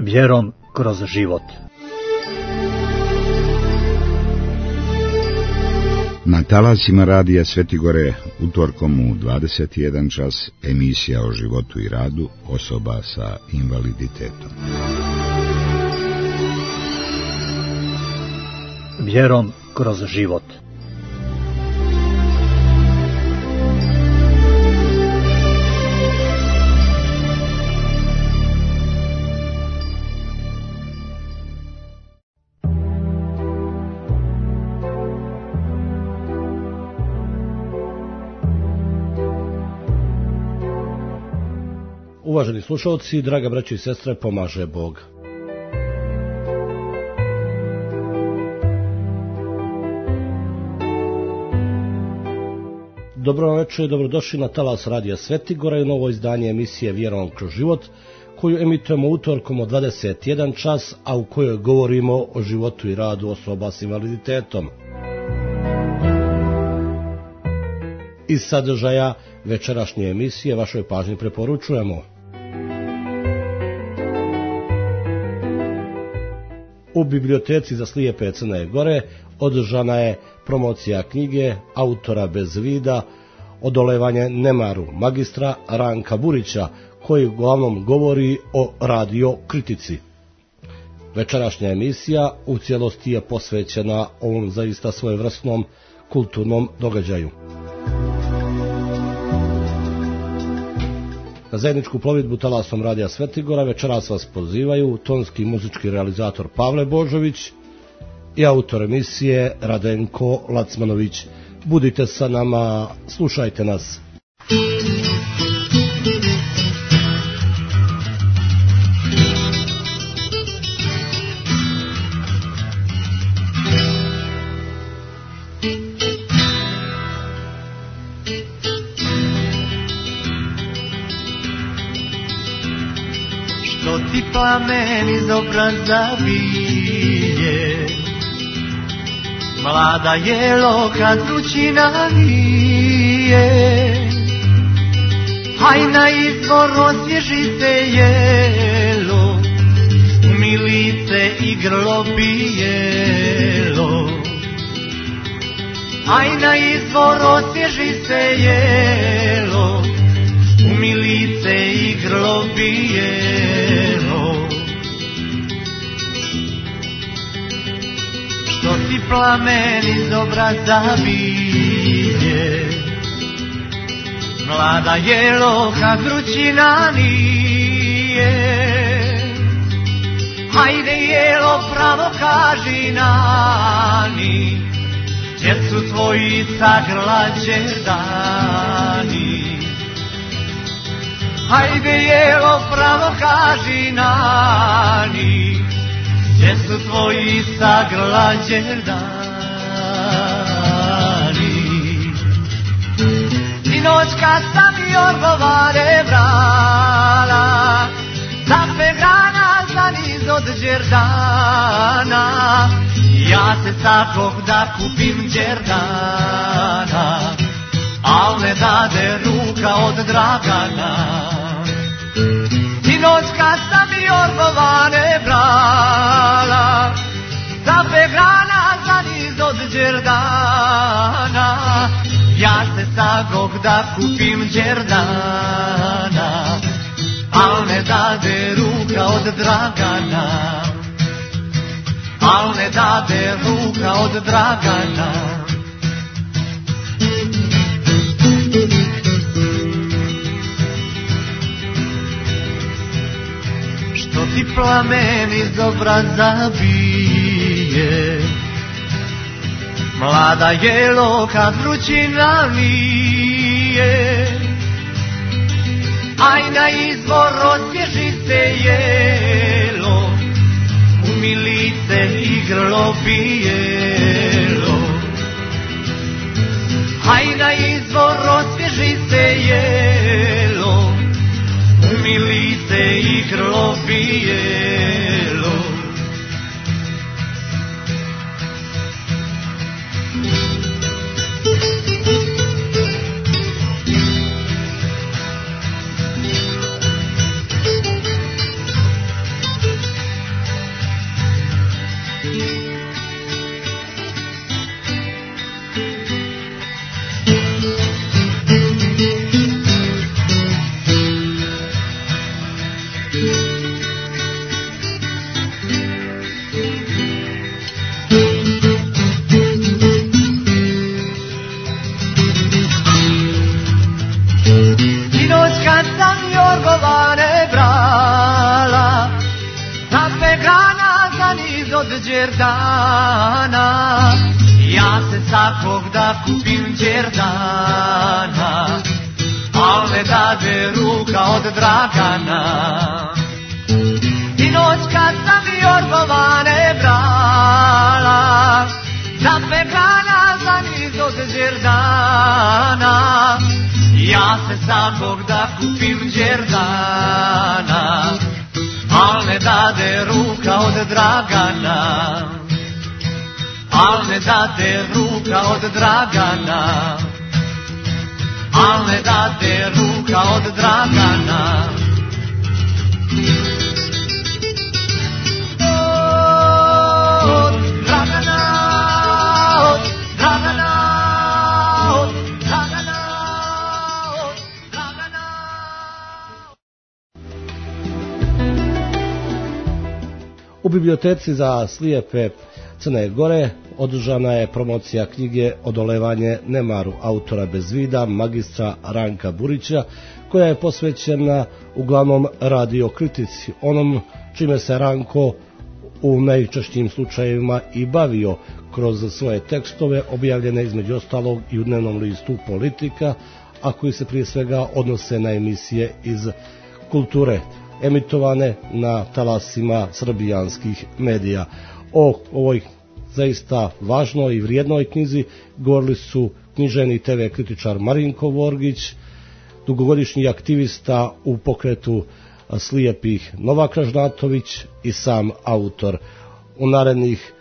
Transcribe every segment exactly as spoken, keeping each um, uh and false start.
Vjerom kroz život. Na talasima radija Svetigore utorkom u dvadeset jedan čas emisija o životu i radu osoba sa invaliditetom. Vjerom kroz život. Uvaženi slušalci, draga braćo i sestre, pomaže Bog. Dobro vam večer i dobrodošli na talas radija Svetigora i novo izdanje emisije Vjerom kroz život, koju emitujemo utorkom od dvadeset jedan čas, a u kojoj govorimo o životu i radu osoba s invaliditetom. Iz sadržaja večerašnje emisije vašoj pažnji preporučujemo: u biblioteci za slijepe Crne Gore održana je promocija knjige autora bez vida Odolevanje nemaru magistra Ranka Burića, koji uglavnom govori o radio kritici. Večerašnja emisija u cijelosti je posvećena ovom zaista svojevrsnom kulturnom događaju. Na zajedničku plovidbu talasom radija Svetigora večeras vas pozivaju tonski i muzički realizator Pavle Božović i autor emisije Radenko Lacmanović. Budite sa nama, slušajte nas. Što ti plamen iz obraza bije, mlada jelo kad vrućina nije, haj na izvor osvježi se jelo, umij lice i grlo bijelo. Haj na izvor osvježi se jelo, umij lice i grlo bijelo. Što ti plamen iz obraza bije, mlada jelo kad vrućina nije, hajde jelo pravo kaži nani, gdje su tvoji sagrlađe dani. Hajde jelo pravo kaži nani, gdje su tvoji sagrlađe dani. I noć kad sam jorgovare brala, zapegrana za niz od đerdana, ja se sakoh da kupim đerdana, al ne dade ruka od Dragana. I noć kad sam jorgovane brala, zapegrana za niz od đerdana, ja se sagoh da kupim đerdana, al ne dade ruka od Dragana, al ne dade ruka od Dragana. Što ti plamen iz obraza bije, mlada jelo kad vrućina nije, aj na izvor osvježi se jelo, umij lice i grlo bijelo. Aj na izvor osvježi se jelo, umij lice i grlo bijelo. Od Đerdana, ja se svakog da kupim Đerdana, al ne dade ruka od Dragana. I noć kad sam Jorgovane brala, za pekana za niz od Đerdana, ja se svakog da kupim Đerdana, al ne dade ruka od Dragana, al ne dade ruka od Dragana, al ne dade ruka od Dragana. Od Dragana, od Dragana, od Dragana, od Dragana. U biblioteci za slijepe Crne Gore održana je promocija knjige Odolevanje nemaru autora bez vida magistra Ranka Burića, koja je posvećena uglavnom radiokritici, onom čime se Ranko u najčešćim slučajevima i bavio kroz svoje tekstove objavljene između ostalog i u dnevnom listu Politika, a koji se prije svega odnose na emisije iz kulture emitovane na talasima srbijanskih medija. O ovoj zaista važnoj i vrijednoj knjizi govorili su književni te ve kritičar Marinko Vorgić, dugogodišnji aktivista u pokretu slijepih Novak Ražnatović i sam autor. U narednih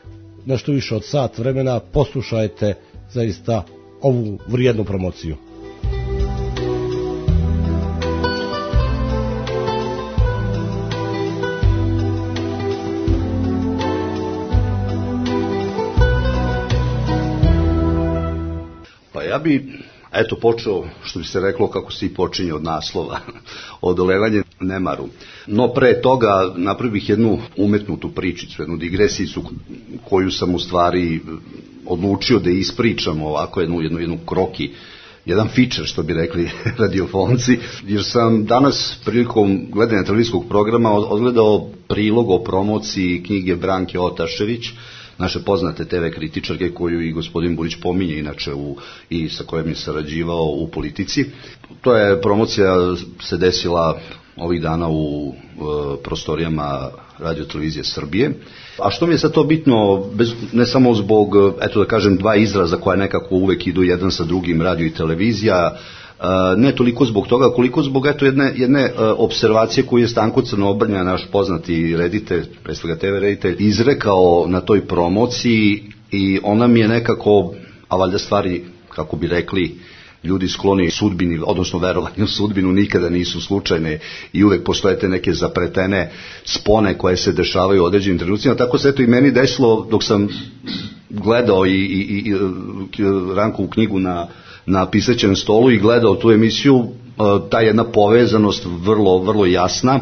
nešto više od sat vremena poslušajte zaista ovu vrijednu promociju. Ja bi, eto, počeo, što bi se reklo, kako se i počinje od naslova, Odolevanje nemaru. No pre toga napravio bih jednu umetnutu pričicu, jednu digresicu koju sam u stvari odlučio da ispričam ovako jednu, jednu, jednu kroki, jedan feature, što bi rekli radiofonci, jer sam danas prilikom gledanja televizijskog programa odgledao prilog o promociji knjige Branke Otašević, naše poznate te ve kritičarke koju i gospodin Burić pominje inače u, i sa kojom je sarađivao u Politici. To je promocija se desila ovih dana u e, prostorijama Radio televizije Srbije. A što mi je sad to bitno, bez, ne samo zbog, eto da kažem, dva izraza koja nekako uvek idu jedan sa drugim, radio i televizija, ne toliko zbog toga, koliko zbog eto jedne, jedne observacije koju je Stanko Crnobrnja, naš poznati reditelj, pre svega te ve reditelj, izrekao na toj promociji i ona mi je nekako, a valjda stvari, kako bi rekli, ljudi skloni sudbini, odnosno verovanju u sudbinu nikada nisu slučajne i uvek postoje te neke zapretene spone koje se dešavaju u određenim trenucima. Tako se eto i meni desilo dok sam gledao i, i, i Rankovu knjigu na na pisaćem stolu i gledao tu emisiju, ta jedna povezanost vrlo, vrlo jasna,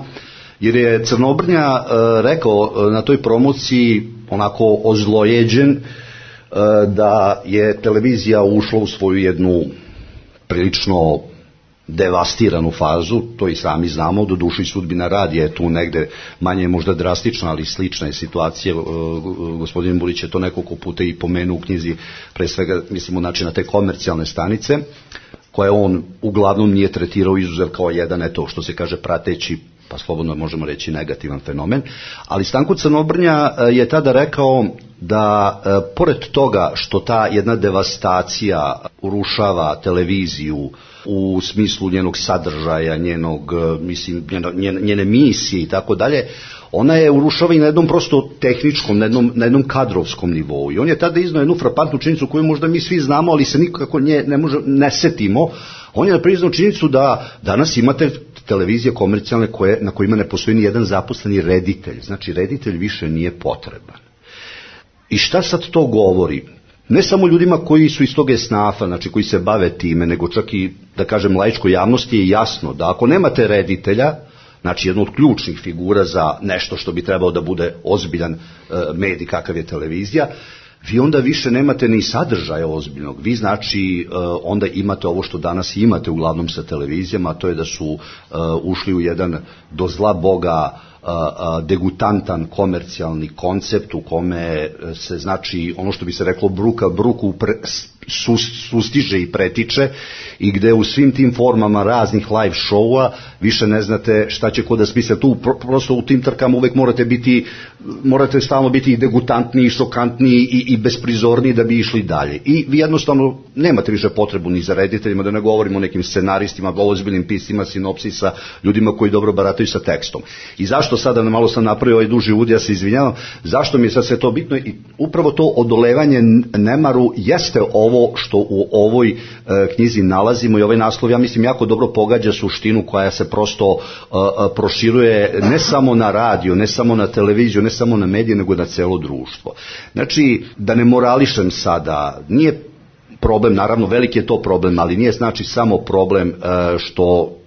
jer je Crnobrnja rekao na toj promociji onako ozlojeđen da je televizija ušla u svoju jednu prilično devastiranu fazu, to i sami znamo, do duše i sudbina radija je tu negde manje možda drastična, ali slična je situacija. Gospodin Burić je to nekoliko puta i pomenuo u knjizi, pre svega mislimo znači na te komercijalne stanice, koje on uglavnom nije tretirao izuzev kao jedan, eto što se kaže prateći, pa slobodno možemo reći negativan fenomen, ali Stanko Crnobrnja je tada rekao da e, pored toga što ta jedna devastacija urušava televiziju u smislu njenog sadržaja, njenog, mislim, njene, njene misije i tako dalje, ona je urušava i na jednom prosto tehničkom, na jednom, na jednom kadrovskom nivou. I on je tada iznao jednu frapantnu činjenicu koju možda mi svi znamo, ali se nikako nje ne, može, ne setimo. On je priznao činjenicu da danas imate televizije komercijalne koje, na kojima ne postoji ni jedan zaposleni reditelj. Znači, reditelj više nije potreban. I šta sad to govori? Ne samo ljudima koji su iz tog esnafa, znači koji se bave time, nego čak i, da kažem, laičkoj javnosti je jasno da ako nemate reditelja, znači jednu od ključnih figura za nešto što bi trebao da bude ozbiljan medij kakav je televizija, vi onda više nemate ni sadržaja ozbiljnog. Vi znači onda imate ovo što danas imate uglavnom sa televizijama, a to je da su ušli u jedan do zla Boga degutantan komercijalni koncept u kome se znači ono što bi se reklo bruka bruku pre, sustiže i pretiče i gde u svim tim formama raznih live showa više ne znate šta će ko da smisle. Tu prosto u tim trkama uvek morate biti, morate stalno biti i degutantniji, i šokantniji i, i besprizorniji da bi išli dalje. I vi jednostavno nemate više potrebu ni za rediteljima, da ne govorimo o nekim scenaristima, ozbiljnim piscima, sinopsisa, ljudima koji dobro barataju sa tekstom. I zašto sada, malo sam napravio ovaj duži uvod, ja se izvinjavam, zašto mi je sad sve to bitno? I upravo to odolevanje nemaru jeste ovo što u ovoj e, knjizi nalazimo i ovaj naslov, ja mislim, jako dobro pogađa suštinu koja se prosto e, proširuje ne samo na radio, ne samo na televiziju, ne samo na medije, nego na celo društvo. Znači, da ne morališem sada, nije problem, naravno veliki je to problem, ali nije znači samo problem e, što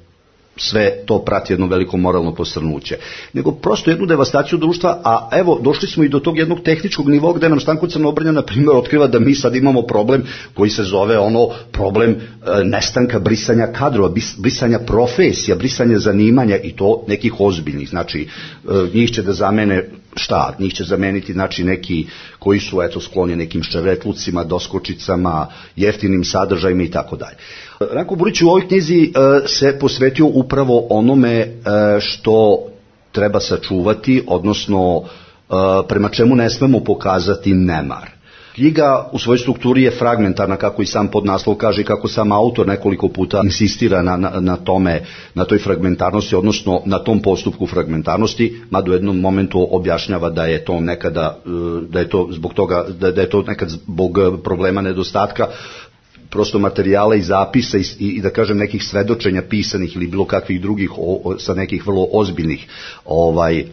sve to prati jedno veliko moralno posrnuće, nego prosto jednu devastaciju društva, a evo, došli smo i do tog jednog tehničkog nivoa gde nam Stanko Crnobrnja, na primjer, otkriva da mi sad imamo problem koji se zove ono problem e, nestanka brisanja kadrova, brisanja profesija, brisanja zanimanja i to nekih ozbiljnih, znači e, njih će da zamene šta, njih će zameniti znači neki koji su eto skloni nekim ščevetlucima, doskočicama, jeftinim sadržajima i tako dalje. Ranko Burić u ovoj knjizi e, se posvetio upravo onome e, što treba sačuvati, odnosno e, prema čemu ne smemo pokazati nemar. Knjiga u svojoj strukturi je fragmentarna, kako i sam podnaslov kaže i kako sam autor nekoliko puta insistira na, na, na tome, na toj fragmentarnosti, odnosno na tom postupku fragmentarnosti, mada u jednom momentu objašnjava da je to nekada, da je to zbog toga, da, da je to nekad zbog problema nedostatka prosto materijala i zapisa i, i da kažem nekih svedočenja pisanih ili bilo kakvih drugih o, o, sa nekih vrlo ozbiljnih ovaj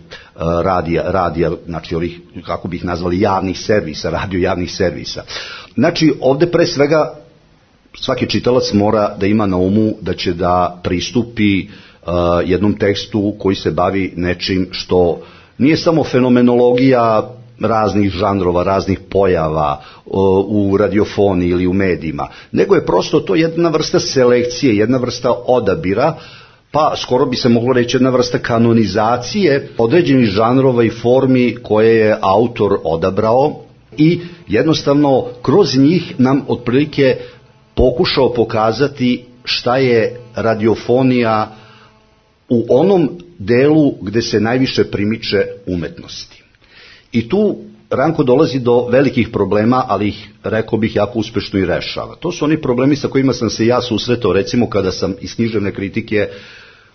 radija, radija, znači ovih, kako bih nazvali, javnih servisa, radio javnih servisa. Znači ovde pre svega svaki čitalac mora da ima na umu da će da pristupi uh, jednom tekstu koji se bavi nečim što nije samo fenomenologija raznih žanrova, raznih pojava u radiofoniji ili u medijima, nego je prosto to jedna vrsta selekcije, jedna vrsta odabira, pa skoro bi se moglo reći jedna vrsta kanonizacije određenih žanrova i formi koje je autor odabrao i jednostavno kroz njih nam otprilike pokušao pokazati šta je radiofonija u onom delu gde se najviše primiče umetnosti. I tu Ranko dolazi do velikih problema, ali ih, rekao bih, jako uspešno i rešava. To su oni problemi sa kojima sam se ja susretao, recimo kada sam iz književne kritike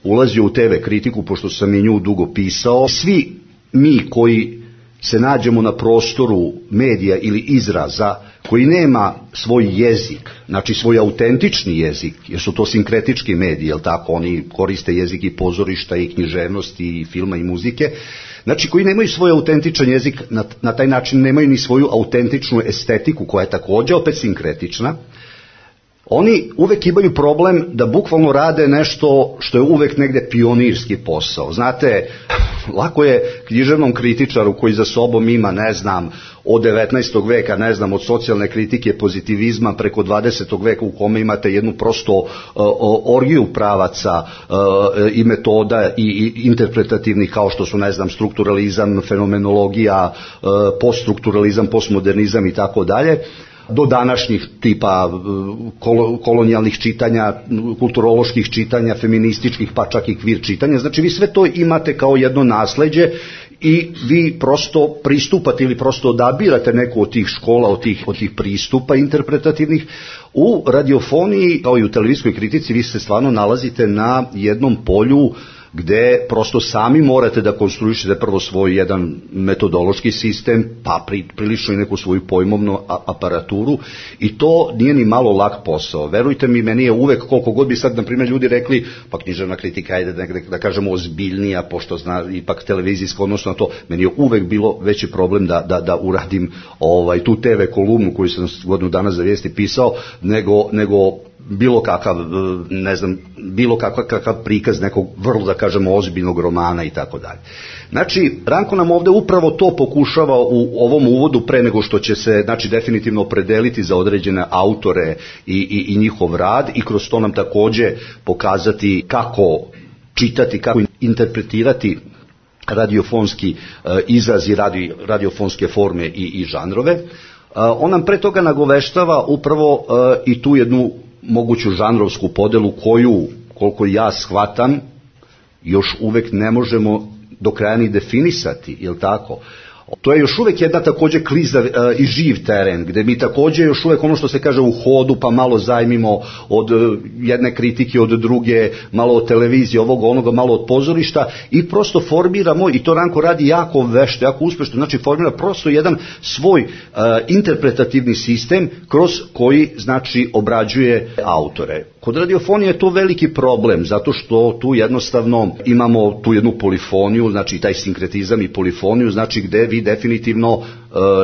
ulazio u te ve kritiku, pošto sam i nju dugo pisao. Svi mi koji se nađemo na prostoru medija ili izraza koji nema svoj jezik, znači svoj autentični jezik, jer su to sinkretički mediji, jel tako, oni koriste jezik i pozorišta i književnosti i filma i muzike, znači koji nemaju svoj autentičan jezik, na, na taj način nemaju ni svoju autentičnu estetiku koja je također opet sinkretična, oni uvek imaju problem da bukvalno rade nešto što je uvek negde pionirski posao. Znate, lako je književnom kritičaru koji za sobom ima, ne znam, od devetnaestog veka, ne znam, od socijalne kritike, pozitivizma preko dvadesetog veka u kome imate jednu prosto uh, orgiju pravaca uh, i metoda i, i interpretativnih kao što su, ne znam, strukturalizam, fenomenologija, uh, poststrukturalizam, postmodernizam i tako dalje, do današnjih tipa kolonijalnih čitanja, kulturoloških čitanja, feminističkih, pa čak i kvir čitanja. Znači vi sve to imate kao jedno nasleđe i vi prosto pristupate ili prosto odabirate neku od tih škola, od tih, od tih pristupa interpretativnih. U radiofoniji, kao i u televizijskoj kritici, vi se stvarno nalazite na jednom polju gde prosto sami morate da konstruišete prvo svoj jedan metodološki sistem, pa pri, prilično i neku svoju pojmovnu aparaturu i to nije ni malo lak posao. Verujte mi, meni je uvek, koliko god bi sad, na primjer, ljudi rekli, pa književna kritika, ajde da, da kažemo ozbiljnija, pošto zna ipak televizijsko, odnosno na to, meni je uvek bilo veći problem da, da, da uradim ovaj, tu te ve kolumnu koju sam godinu dana za vijesti pisao, nego, nego bilo kakav, ne znam, bilo kakav, kakav prikaz nekog vrlo, da kažemo, ozbiljnog romana i tako dalje. Znači, Ranko nam ovde upravo to pokušava u ovom uvodu, pre nego što će se, znači, definitivno opredeliti za određene autore i, i, i njihov rad, i kroz to nam takođe pokazati kako čitati, kako interpretirati radiofonski uh, izraz i radio, radiofonske forme i, i žanrove. Uh, on nam pre toga nagoveštava upravo uh, i tu jednu moguću žanrovsku podelu koju, koliko ja shvatam, još uvek ne možemo do kraja ni definisati, je li tako? To je još uvek jedna takođe klizav e, i živ teren, gde mi takođe još uvek ono što se kaže u hodu, pa malo zajmimo od e, jedne kritike, od druge, malo od televizije, ovog, onoga, malo od pozorišta, i prosto formiramo, i to Ranko radi jako vešto, jako uspešno, znači formira prosto jedan svoj e, interpretativni sistem kroz koji, znači, obrađuje autore. Kod radiofonije je to veliki problem, zato što tu jednostavno imamo tu jednu polifoniju, znači taj sinkretizam i polifoniju, znači gde vi definitivno, uh,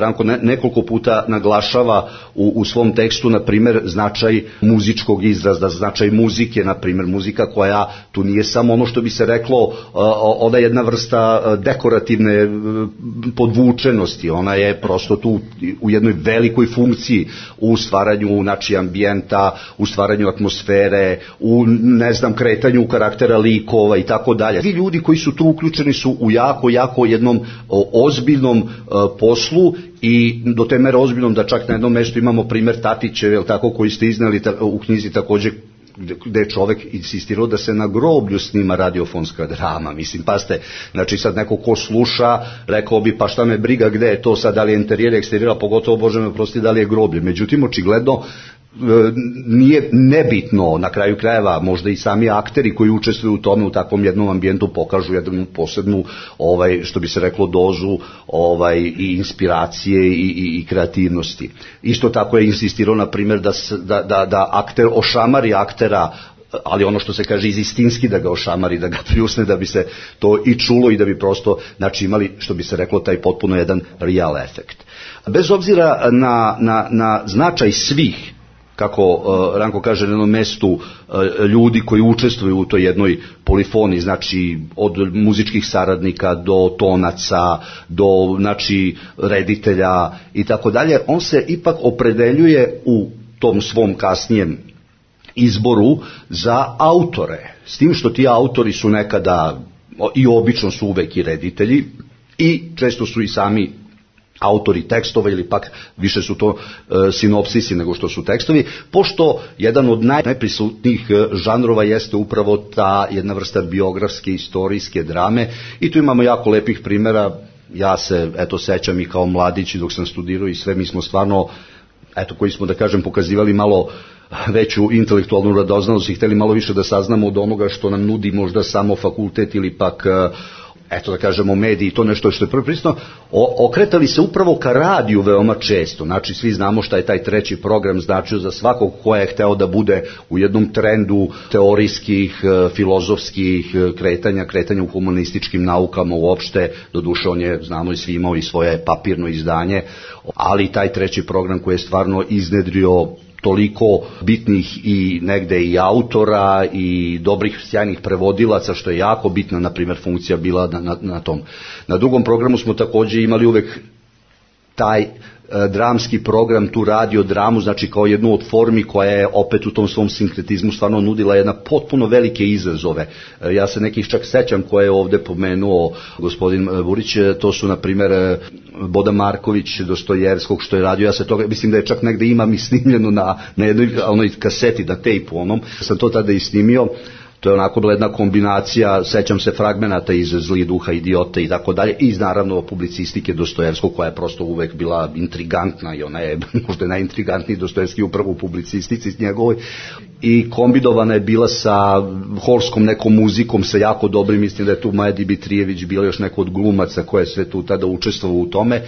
Ranko ne, nekoliko puta naglašava u, u svom tekstu, na primer, značaj muzičkog izraza, značaj muzike, na primer, muzika koja tu nije samo ono što bi se reklo, uh, ona je jedna vrsta dekorativne uh, podvučenosti, ona je prosto tu u jednoj velikoj funkciji u stvaranju, znači, ambijenta, u stvaranju atmosfere, u, ne znam, kretanju karaktera likova i tako dalje. Svi ljudi koji su tu uključeni su u jako, jako jednom o, ozbiljnom uh, poslu, i do te mere ozbiljnom da čak na jednom mestu imamo primer Tatićeve, jel tako, koji ste iznali ta, u knjizi takođe, gde je čovek insistirao da se na groblju snima radiofonska drama. Mislim, pa ste, znači sad neko ko sluša, rekao bi, pa šta me briga gde je to sad, da li je interijer, eksterijera, pogotovo, Bože me prosti, da li je groblje. Međutim, očigledno, nije nebitno, na kraju krajeva možda i sami akteri koji učestvuju u tome, u takvom jednom ambijentu, pokažu jednu posebnu, ovaj, što bi se reklo, dozu ovaj, i inspiracije i, i, i kreativnosti. Isto tako je insistirao, na primjer, da, da, da, da akter ošamari aktera, ali ono što se kaže iz istinski, da ga ošamari, da ga pljusne, da bi se to i čulo i da bi prosto, znači, imali, što bi se reklo, taj potpuno jedan real efekt. Bez obzira na, na, na značaj svih, kako uh, Ranko kaže, na jednom mestu uh, ljudi koji učestvuju u toj jednoj polifoniji, znači od muzičkih saradnika do tonaca, do, znači, reditelja i tako dalje, on se ipak opredeljuje u tom svom kasnijem izboru za autore. S tim što ti autori su nekada, i obično su uvek i reditelji, i često su i sami autori tekstova, ili pak više su to e, sinopsisi nego što su tekstovi, pošto jedan od naj, najprisutnijih žanrova jeste upravo ta jedna vrsta biografske, istorijske drame, i tu imamo jako lepih primjera. Ja se, eto, sećam i kao mladić dok sam studirao i sve, mi smo stvarno, eto, koji smo, da kažem, pokazivali malo veću intelektualnu radoznalost i hteli malo više da saznamo od onoga što nam nudi možda samo fakultet ili pak, eto, da kažemo, mediji, to nešto što je prvo prisutno, okretali se upravo ka radiju veoma često. Znači, svi znamo šta je taj treći program značio za svakog ko je hteo da bude u jednom trendu teorijskih, filozofskih kretanja, kretanja u humanističkim naukama uopšte. Doduše, on je, znamo i svi, imao i svoje papirno izdanje, ali taj treći program koji je stvarno iznedrio toliko bitnih i negde i autora i dobrih, sjajnih prevodilaca, što je jako bitna, na primjer, funkcija bila na, na, na tom. Na drugom programu smo takođe imali uvek taj e, dramski program, tu radio dramu, znači kao jednu od formi koja je opet u tom svom sinkretizmu stvarno nudila jedna potpuno velike izazove. E, ja se nekih čak sećam koje je ovde pomenuo gospodin Burić, to su, na primjer, Boda Marković, Dostojevskog, što je radio, ja se toga, mislim da je čak negde imam i snimljeno na, na jednoj onoj kaseti, na tejpu onom, sam to tada i snimio. To je onako bila jedna kombinacija, sećam se fragmenata iz Zli duha, Idiote i tako dalje, i naravno publicistike Dostojevskog, koja je prosto uvek bila intrigantna, i ona je možda najintrigantniji Dostojevski upravo u publicistici njegovoj, i kombidovana je bila sa horskom nekom muzikom, sa jako dobrim, mislim da je tu Maja Dibitrijević bila, još neko od glumaca koje sve tu tada učestvovao u tome. E,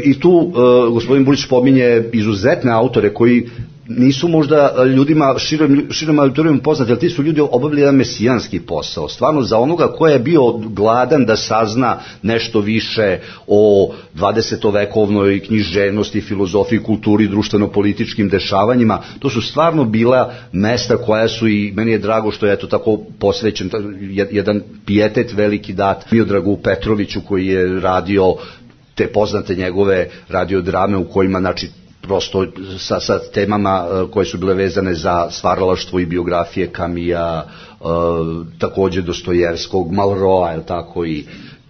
i tu e, gospodin Burić pominje izuzetne autore koji nisu možda ljudima širom, širom auditorijom poznati, ali ti su ljudi obavili jedan mesijanski posao, stvarno za onoga ko je bio gladan da sazna nešto više o dvadesetovekovnoj književnosti, filozofiji, kulturi, društveno-političkim dešavanjima. To su stvarno bila mesta koja su, i meni je drago što je to tako posvećen, jedan pijetet veliki dat Miodragu Petroviću koji je radio te poznate njegove radiodrame u kojima, znači, prosto sa, sa temama uh, koje su bile vezane za stvaralaštvo i biografije Kamija, uh, takođe Dostojevskog, Malroa, je tako, i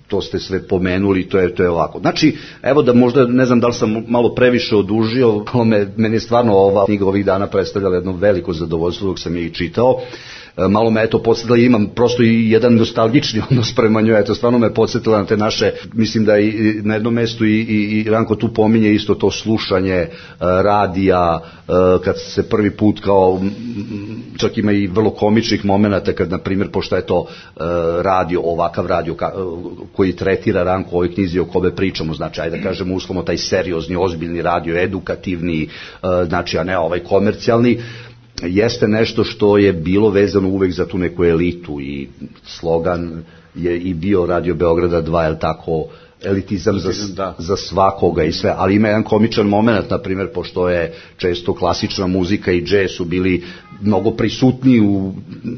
to ste sve pomenuli, to je, to je ovako. Znači, evo da možda, ne znam da li sam malo previše odužio, me, meni je stvarno ova knjiga ovih dana predstavljala jedno veliko zadovoljstvo dok sam je i čitao. Malo me eto podsjetila, imam prosto i jedan nostalgični odnos prema njoj, eto stvarno me podsjetila na te naše, mislim da i na jednom mestu i, i, i Ranko tu pominje isto to slušanje uh, radija, uh, kad se prvi put kao, čak ima i vrlo komičnih momenata kad, na primjer, pošto je to uh, radio, ovakav radio ka, uh, koji tretira, Ranko, u ovoj knjizi o kome pričamo, znači, ajde da kažemo uslovno taj seriozni, ozbiljni radio, edukativni, uh, znači, a ne ovaj komercijalni, jeste nešto što je bilo vezano uvek za tu neku elitu, i slogan je i bio Radio Beograda dva, je tako, elitizam za, za svakoga i sve, ali ima jedan komičan moment, na primjer, pošto je često klasična muzika i džez su bili mnogo prisutni u,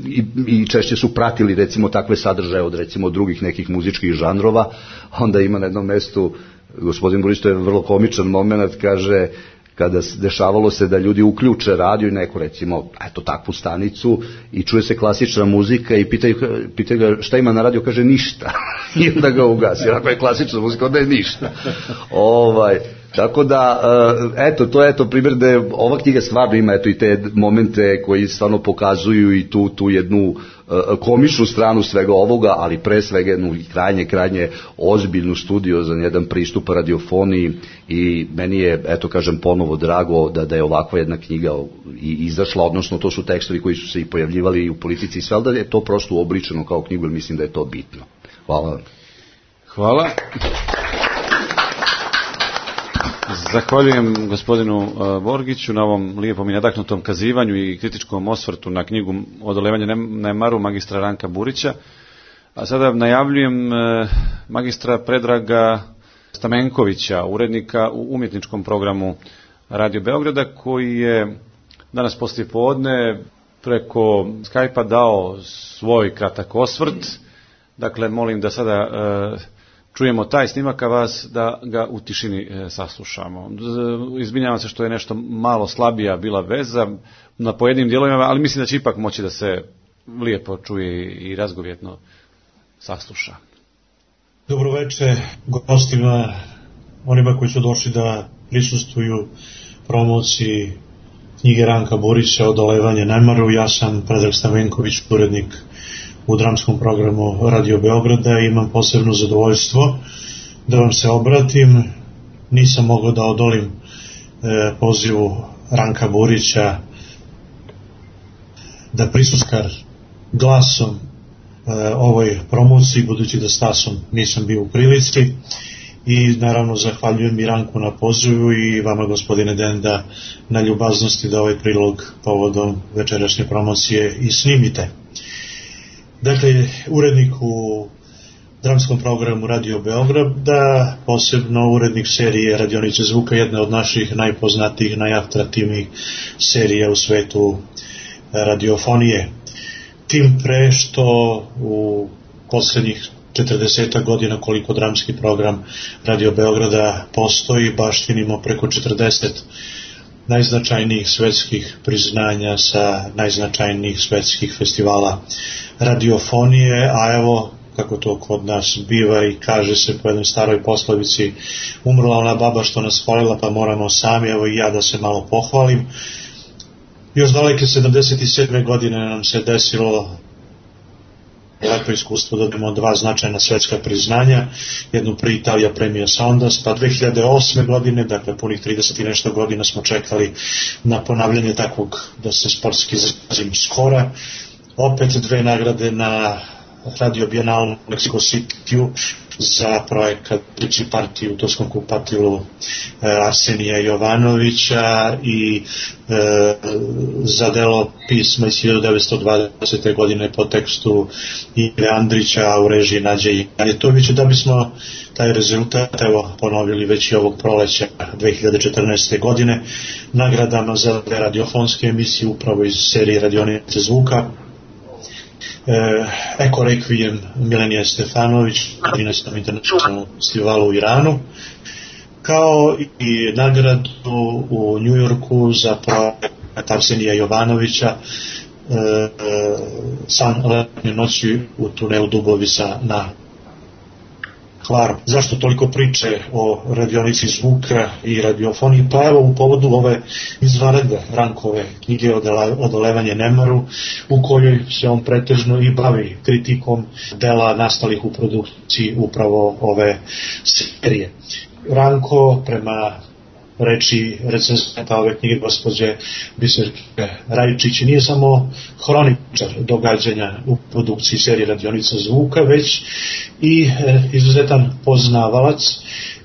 i, i češće su pratili, recimo, takve sadržaje od, recimo, drugih nekih muzičkih žanrova, onda ima na jednom mestu, gospodin Burić, to je vrlo komičan moment, kaže, kada dešavalo se da ljudi uključe radio i neku, recimo, eto, takvu stanicu i čuje se klasična muzika i pitaju, pitaju ga šta ima na radio, kaže ništa. I onda ga ugasi. Ako je klasična muzika, onda je ništa. Ovaj, tako da, eto, to je eto primjer da je ova knjiga stvarno ima eto i te momente koji stvarno pokazuju i tu, tu jednu komičnu stranu svega ovoga, ali pre svega jednu krajnje, krajnje ozbiljnu studiju za jedan pristup radiofoniji, i meni je, eto kažem, ponovo drago da, da je ovakva jedna knjiga i izašla, odnosno to su tekstovi koji su se i pojavljivali i u Politici i sve, ali da je to prosto uobličeno kao knjigu, jer mislim da je to bitno. Hvala. Hvala. Zahvaljujem gospodinu Borgiću na ovom lijepom i nadahnutom kazivanju i kritičkom osvrtu na knjigu Odolevanje nemaru magistra Ranka Burića. A sada najavljujem magistra Predraga Stamenkovića, urednika u umjetničkom programu Radio Beograda, koji je danas poslijepodne preko Skype-a dao svoj kratak osvrt. Dakle, molim da sada čujemo taj snimak, a vas da ga u tišini e, saslušamo. Izvinjavam se što je nešto malo slabija bila veza na pojedinim dijelovima, ali mislim da će ipak moći da se lijepo čuje i razgovjetno sasluša. Dobro večer gostima, onima koji su došli da prisustvuju promociji knjige Ranka Burića Odolevanje nemaru. Ja sam Predrag Stamenković, urednik u dramskom programu Radio Beograda, i imam posebno zadovoljstvo da vam se obratim. Nisam mogao da odolim e, pozivu Ranka Burića da prisuskar glasom e, ovoj promociji, budući da stasom nisam bio u prilici, i naravno zahvaljujem i Ranku na pozivu i vama, gospodine Denda, na ljubaznosti da ovaj prilog povodom večerašnje promocije i snimite. Dakle, urednik u dramskom programu Radio Beograda, posebno urednik serije Radionice zvuka, jedne od naših najpoznatijih, najatraktivnijih serija u svetu radiofonije. Tim pre što u poslednjih četrdeset godina koliko dramski program Radio Beograda postoji, baštinimo preko četrdeset najznačajnijih svetskih priznanja sa najznačajnijih svetskih festivala radiofonije, a evo, kako to kod nas biva i kaže se po jednoj staroj poslovici, umrla ona baba što nas hvalila, pa moramo sami, evo i ja da se malo pohvalim. Još daleke sedamdeset sedme godine nam se desilo lepo iskustvo da dobijemo dva značajna svetska priznanja, jednu pri Italija Premia Sondas, pa dve hiljade osme godine, dakle punih trideset i nešto godina smo čekali na ponavljanje takvog, da se sportski izrazim, skora, opet dve nagrade na Radio Bienal u Mexico City za projekat Priči partiju u Turskom kupatilu Arsenija Jovanovića i e, za delo pisma iz hiljadu devetsto dvadesete. godine po tekstu Ive Andrića u režiji Nađe Janjetovića, da bismo taj rezultat evo ponovili već i ovog proleća dve hiljade četrnaeste. godine nagradama za radiofonske emisije upravo iz serije Radionice zvuka. Eko Requiem Milenije Stefanović na trinaestom internacionalnom festivalu u Iranu, kao i nagradu u Njujorku za projekat Arsenija Jovanovića San letnje noći u tunelu Dubovisa na Hvaru. Zašto toliko priče o radionici zvuka i radiofoniji? Pa evo u povodu ove izvanredne Rankove knjige Odolevanje nemaru, u kojoj se on pretežno i bavi kritikom dela nastalih u produkciji upravo ove serije. Ranko, prema reči recenzenta ove knjige gospođe Biserke Rajčić, nije samo hroničar događanja u produkciji serije Radionica zvuka, već i e, izuzetan poznavalac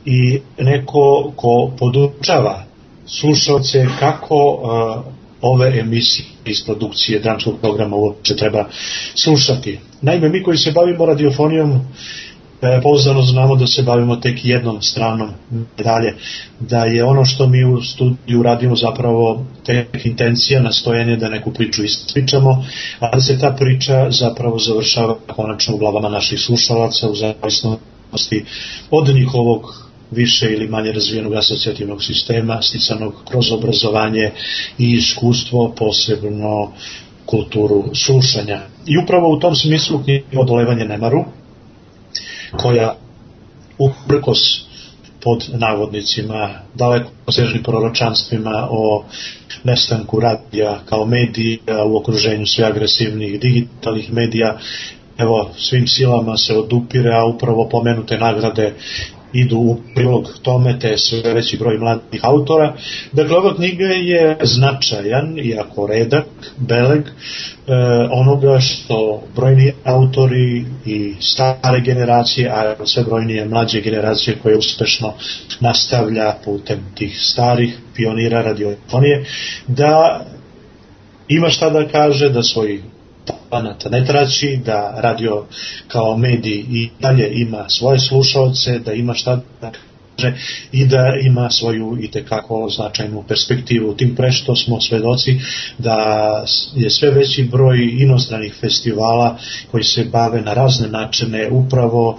i neko ko podučava slušalce kako e, ove emisije iz produkcije dramskog programa uopće treba slušati. Naime, mi koji se bavimo radiofonijom E, pouzdano znamo da se bavimo tek jednom stranom medalje, da je ono što mi u studiju radimo zapravo tek intencija, nastojanje da neku priču ispričamo, a da se ta priča zapravo završava konačno u glavama naših slušalaca u zavisnosti od njihovog više ili manje razvijenog asocijativnog sistema, sticanog kroz obrazovanje i iskustvo, posebno kulturu slušanja. I upravo u tom smislu knjiga Odolevanje nemaru, koja uprkos pod navodnicima daleko sežnim proročanstvima o nestanku radija kao medija u okruženju sve agresivnih digitalnih medija, evo svim silama se odupire, a upravo pomenute nagrade idu u prilog tome, te sve veći broj mladih autora. Dakle, ova knjiga je značajan, iako redak, beleg, e, onoga što brojni autori i stare generacije, a sve brojnije mlađe generacije koje uspešno nastavlja putem tih starih pionira radiofonije, da ima šta da kaže, da svoj talenata ne traći, da radio kao medij i dalje ima svoje slušaoce, da ima šta da kaže i da ima svoju itekako značajnu perspektivu. Tim pre što smo svedoci da je sve veći broj inostranih festivala koji se bave na razne načine upravo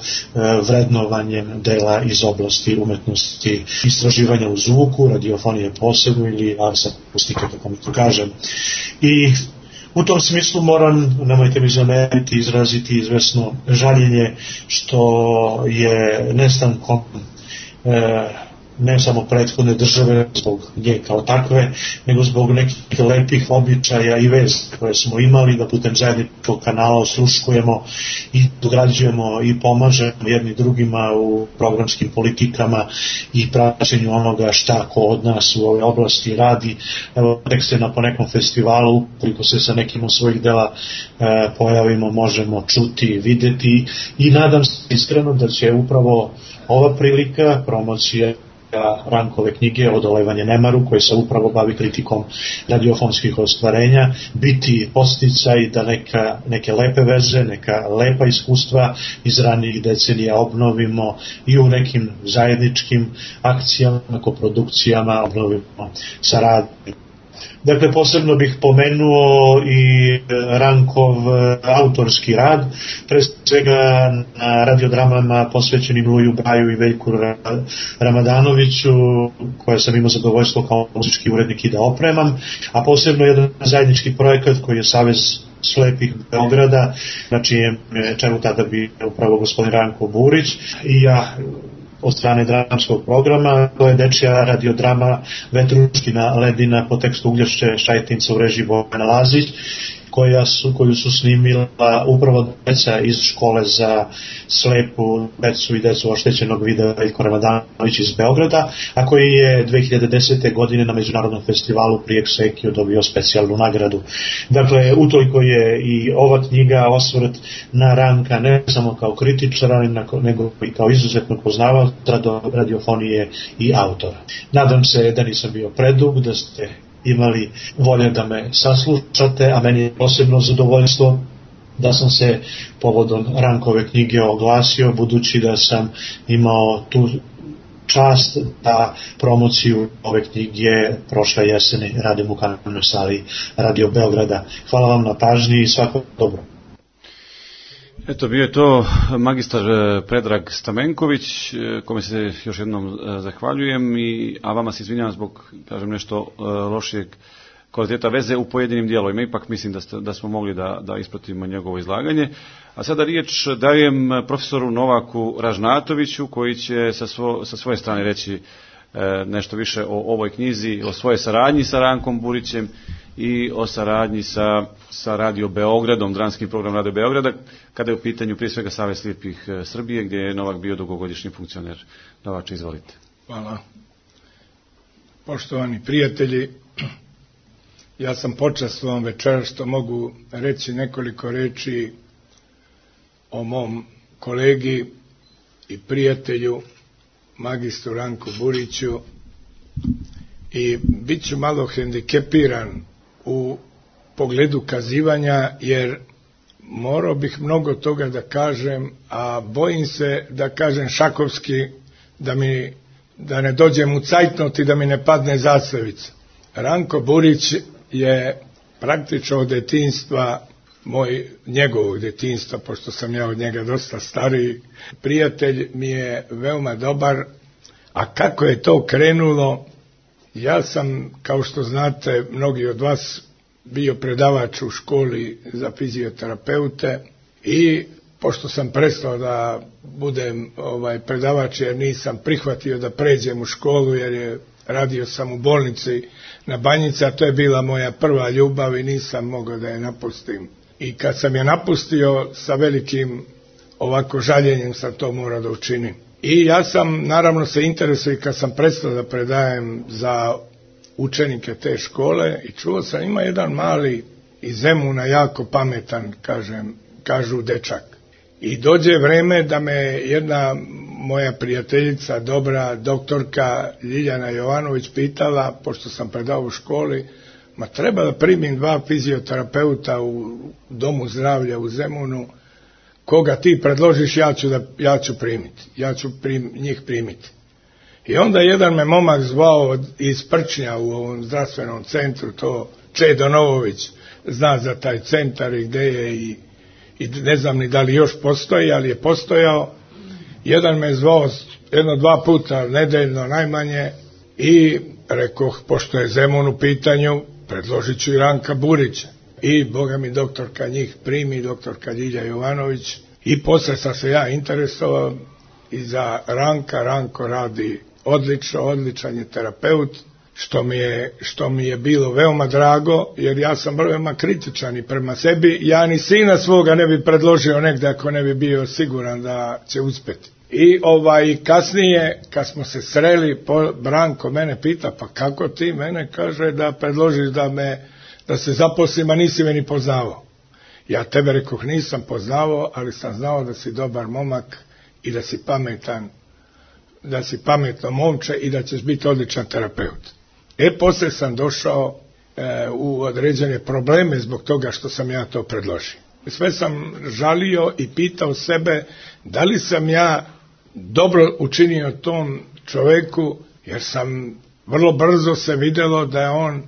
vrednovanjem dela iz oblasti umetnosti, istraživanja u zvuku, radiofonije posebno ili akustike, kako mi to kažem. I u tom smislu moram, nemojte mi zameriti, izraziti izvesno žaljenje što je nestankom e, ne samo prethodne države zbog nje kao takve, nego zbog nekih lepih običaja i veze koje smo imali, da putem zajedničkog kanala osluškujemo i dograđujemo i pomažemo jedni drugima u programskim politikama i praćenju onoga šta ko od nas u ovoj oblasti radi. Evo, tek se na ponekom festivalu, ukoliko se sa nekim od svojih dela e, pojavimo, možemo čuti, videti i nadam se iskreno da će upravo ova prilika, promocija Rankove knjige Odolevanje nemaru, koje se upravo bavi kritikom radiofonskih ostvarenja, biti podsticaj da neka, neke lepe veze, neka lepa iskustva iz ranijih decenija obnovimo i u nekim zajedničkim akcijama, koprodukcijama obnovimo saradnju. Dakle, posebno bih pomenuo i Rankov autorski rad, pre svega na radiodramama posvećenim Luju Braju i Veljku Ramadanoviću, koje sam imao zadovoljstvo kao muzički urednik i da opremam, a posebno jedan zajednički projekat koji je Savez slepih Beograda, na čijem čelu tada bi upravo gospodin Ranko Burić i ja od strane dramskog programa. To je dečija radiodrama Vetruškina ledina po tekstu Ugljašće Šajtinca u režiji Bojana Lazić. koja su, koju su snimila upravo deca iz škole za slepu decu i decu oštećenog vida Veljko Ramadanović iz Beograda, a koji je dve hiljade desete. godine na Međunarodnom festivalu pri Eksekiju dobio specijalnu nagradu. Dakle, utoliko je i ova knjiga osvrt na Ranka ne samo kao kritičara, nego i kao izuzetno poznavaoca radiofonije i autora. Nadam se da nisam bio predug, da ste imali volje da me saslušate, a meni je posebno zadovoljstvo da sam se povodom Rankove knjige oglasio, budući da sam imao tu čast da promociju ove knjige prošle jeseni radim u kanalnoj sali Radio Beograda. Hvala vam na pažnji i svako dobro. Eto, bio je to magistar Predrag Stamenković, kome se još jednom zahvaljujem, i, a vama se izvinjavam zbog, kažem, nešto lošijeg kvaliteta veze u pojedinim dijelovima. Ipak mislim da, st, da smo mogli da, da ispratimo njegovo izlaganje. A sada riječ dajem profesoru Novaku Ražnatoviću, koji će sa, svo, sa svoje strane reći e, nešto više o ovoj knjizi, o svojoj saradnji sa Rankom Burićem i o saradnji sa, sa Radio Beogradom, dramskim program Radio Beograda, kada je u pitanju prije svega Savez slijepih Srbije, gdje je Novak bio dugogodišnji funkcioner. Novače, izvolite. Hvala. Poštovani prijatelji, ja sam počastvovan večeras što mogu reći nekoliko reči o mom kolegi i prijatelju magistru Ranku Buriću, i bit ću malo hendikepiran u pogledu kazivanja, jer morao bih mnogo toga da kažem, a bojim se da kažem šakovski, da mi da ne dođem u cajtnot i da mi ne padne zastavica. Ranko Burić je praktično od detinjstva, moj, njegovog detinjstva, pošto sam ja od njega dosta stariji, prijatelj mi je veoma dobar. A kako je to krenulo? Ja sam, kao što znate, mnogi od vas, bio predavač u školi za fizioterapeute, i pošto sam prestao da budem ovaj predavač, jer nisam prihvatio da pređem u školu, jer je radio sam u bolnici na Banjici, a to je bila moja prva ljubav i nisam mogao da je napustim. I kad sam je napustio, sa velikim ovako žaljenjem sam to morao da učinim. I ja sam, naravno, se interesuo i kad sam prestao da predajem za učenike te škole, i čuo sam, ima jedan mali iz Zemuna, jako pametan, kažem, kažu dečak. I dođe vreme da me jedna moja prijateljica, dobra doktorka Ljiljana Jovanović, pitala, pošto sam predao u školi, ma treba da primim dva fizioterapeuta u domu zdravlja u Zemunu, koga ti predložiš, ja ću, da, ja ću primiti, ja ću prim, njih primiti. I onda jedan me momak zvao iz Prčnja u ovom zdravstvenom centru, to Čedo Novović, zna za taj centar i gde je, i, i ne znam ni da li još postoji, ali je postojao. Jedan me zvao jedno dva puta nedeljno najmanje i rekoh, pošto je Zemun u pitanju, predložit ću i Ranka Burića. I boga mi doktorka njih primi, doktorka Ljilja Jovanović, i posle sam se ja interesovao i za Ranka. Ranko radi odlično, odličan je terapeut, što mi je, što mi je bilo veoma drago, jer ja sam veoma kritičan i prema sebi. Ja ni sina svoga ne bi predložio negde ako ne bi bio siguran da će uspeti. I ovaj kasnije, kad smo se sreli, Branko mene pita, pa kako ti mene, kaže, da predložiš da me da se zaposlim, a nisi me ni poznavao. Ja tebe, rekoh, nisam poznavao, ali sam znao da si dobar momak i da si pametan, da si pametno momče i da ćeš biti odličan terapeut. E, posle sam došao e, u određene probleme zbog toga što sam ja to predložio. Sve sam žalio i pitao sebe da li sam ja dobro učinio tom čoveku, jer sam vrlo brzo se videlo da je on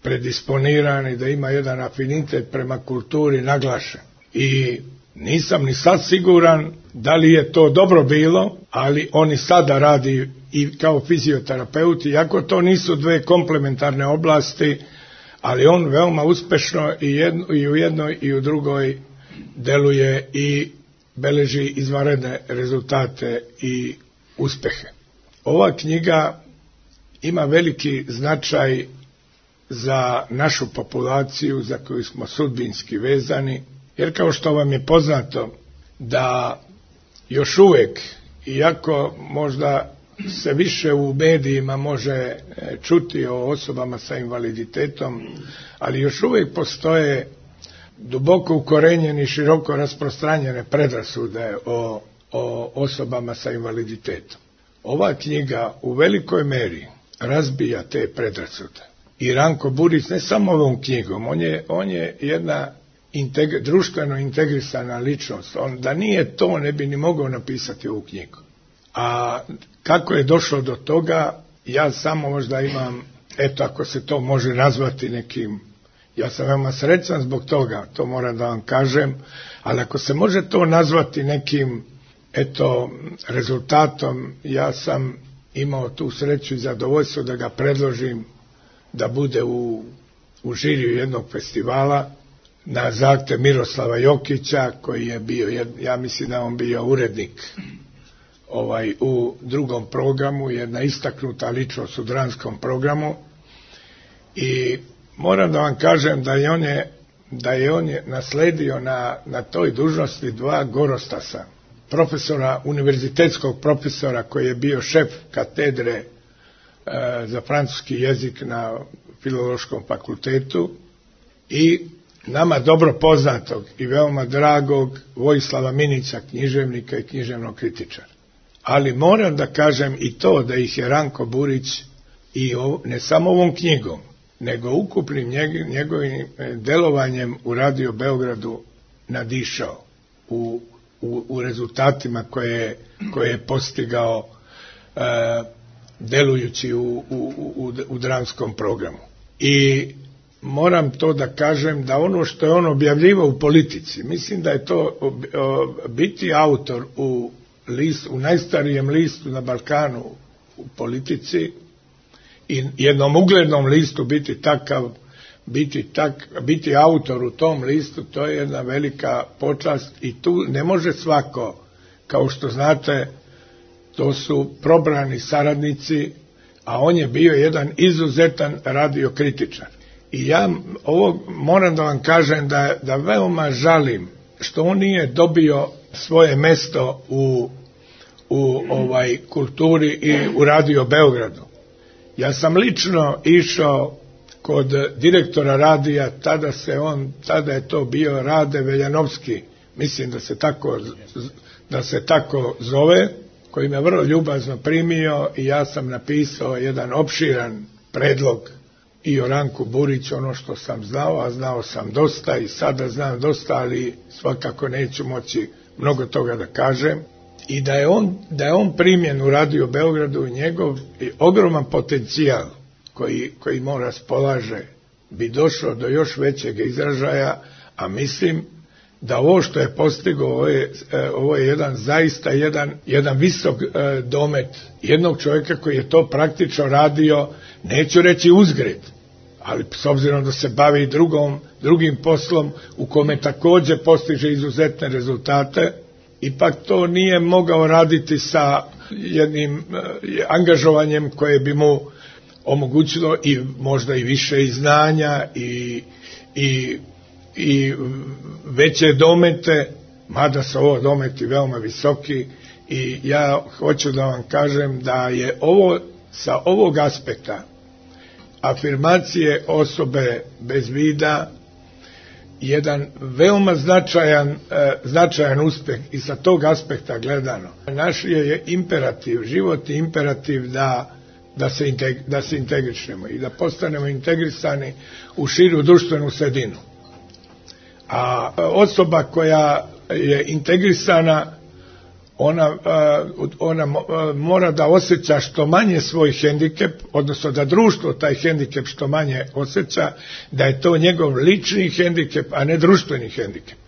predisponiran i da ima jedan afinitet prema kulturi naglašen. I nisam ni sad siguran da li je to dobro bilo, ali on i sada radi i kao fizioterapeut, iako to nisu dve komplementarne oblasti, ali on veoma uspešno i, jedno, i u jednoj i u drugoj deluje i beleži izvanredne rezultate i uspehe. Ova knjiga ima veliki značaj za našu populaciju za koju smo sudbinski vezani, jer kao što vam je poznato da još uvijek, iako možda se više u medijima može čuti o osobama sa invaliditetom, ali još uvijek postoje duboko ukorenjene i široko rasprostranjene predrasude o, o osobama sa invaliditetom. Ova knjiga u velikoj meri razbija te predrasude. I Ranko Burić ne samo ovom knjigom, on je, on je jedna integ, društveno integrisana ličnost. On, da nije to, ne bi ni mogao napisati ovu knjigu. A kako je došlo do toga, ja samo možda imam, eto ako se to može nazvati nekim, ja sam veoma srećan zbog toga, to moram da vam kažem, ali ako se može to nazvati nekim, eto, rezultatom, ja sam imao tu sreću i zadovoljstvo da ga predložim da bude u, u žiriju jednog festivala na zahtev Miroslava Jokića, koji je bio, ja mislim da on bio urednik ovaj, u drugom programu, jedna istaknuta ličnost u dramskom programu, i moram da vam kažem da je on je, da je on je nasledio na, na toj dužnosti dva gorostasa, profesora, univerzitetskog profesora koji je bio šef katedre e, za francuski jezik na Filološkom fakultetu, i nama dobro poznatog i veoma dragog Vojislava Minića, književnika i književnog kritičara. Ali moram da kažem i to da ih je Ranko Burić i ov, ne samo ovom knjigom, nego ukupnim njegovim delovanjem u Radio Beogradu nadišao u, u, u rezultatima koje, koje je postigao e, delujući u, u, u, u dramskom programu. I moram to da kažem da ono što je on objavljivao u Politici, mislim da je to ob, ob, biti autor u, list, u najstarijem listu na Balkanu u Politici, i jednom uglednom listu biti takav, biti, tak, biti autor u tom listu, to je jedna velika počast i tu ne može svako, kao što znate, to su probrani saradnici, a on je bio jedan izuzetan radiokritičar. I ja ovo moram da vam kažem da, da veoma žalim što on nije dobio svoje mesto u, u ovaj kulturi i u Radio Beogradu. Ja sam lično išao kod direktora radija, tada se on, tada je to bio Rade Veljanovski, mislim da se tako, da se tako zove, koji me vrlo ljubazno primio, i ja sam napisao jedan opširan predlog i o Ranku Buriću, ono što sam znao, a znao sam dosta i sada znam dosta, ali svakako neću moći mnogo toga da kažem. I da je on, da je on primjen u Radio Beogradu, njegov ogroman potencijal koji, koji on raspolaže bi došlo do još većeg izražaja, a mislim da ovo što je postigao, ovo je, ovo je jedan, zaista jedan, jedan visok e, domet jednog čovjeka koji je to praktično radio, neću reći uzgred, ali s obzirom da se bavi drugom, drugim poslom u kome također postiže izuzetne rezultate, ipak to nije mogao raditi sa jednim e, angažovanjem koje bi mu omogućilo i možda i više i znanja i, i, i veće domete, mada su ovo dometi veoma visoki, i ja hoću da vam kažem da je ovo sa ovog aspekta afirmacije osobe bez vida jedan veoma značajan, e, značajan uspeh, i sa tog aspekta gledano. Naš je imperativ, životni imperativ da, da, se integ, da se integrišemo i da postanemo integrisani u širu društvenu sredinu. A osoba koja je integrisana, ona, ona mora da osjeća što manje svoj hendikep, odnosno da društvo taj hendikep što manje osjeća, da je to njegov lični hendikep, a ne društveni hendikep.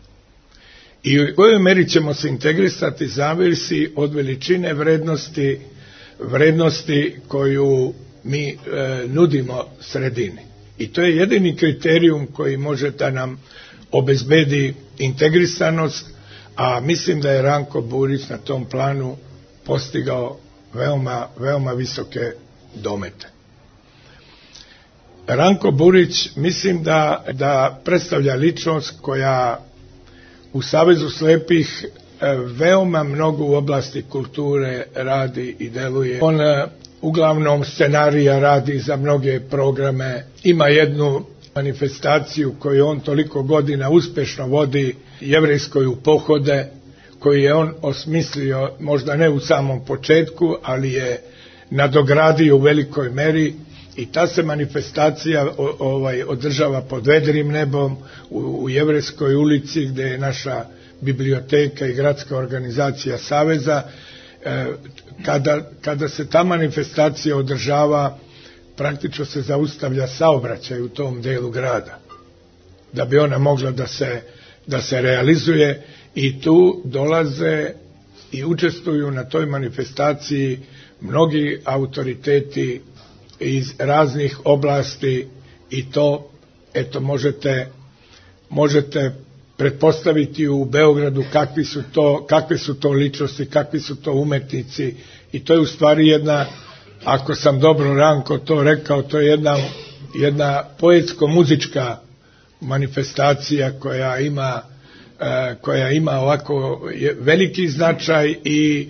I u kojoj meri ćemo se integrisati zavisi od veličine vrednosti, vrednosti koju mi e, nudimo sredini. I to je jedini kriterijum koji može da nam obezbedi integrisanost, a mislim da je Ranko Burić na tom planu postigao veoma, veoma visoke domete. Ranko Burić mislim da, da predstavlja ličnost koja u Savezu slepih veoma mnogo u oblasti kulture radi i deluje. On uglavnom scenarija radi za mnoge programe, ima jednu manifestaciju koju on toliko godina uspešno vodi, Jevrejskoj u pohode, koju je on osmislio, možda ne u samom početku, ali je nadogradio u velikoj meri, i ta se manifestacija ovaj, održava pod vedrim nebom u, u Jevrejskoj ulici, gde je naša biblioteka i gradska organizacija Saveza. E, kada, kada se ta manifestacija održava, praktično se zaustavlja saobraćaj u tom delu grada, da bi ona mogla da se, da se realizuje, i tu dolaze i učestvuju na toj manifestaciji mnogi autoriteti iz raznih oblasti, i to, eto, možete, možete pretpostaviti u Beogradu kakvi su to, kakve su to ličnosti, kakvi su to umetnici, i to je u stvari jedna, ako sam dobro Ranko to rekao, to je jedna, jedna poetsko-muzička manifestacija koja ima, koja ima ovako veliki značaj i,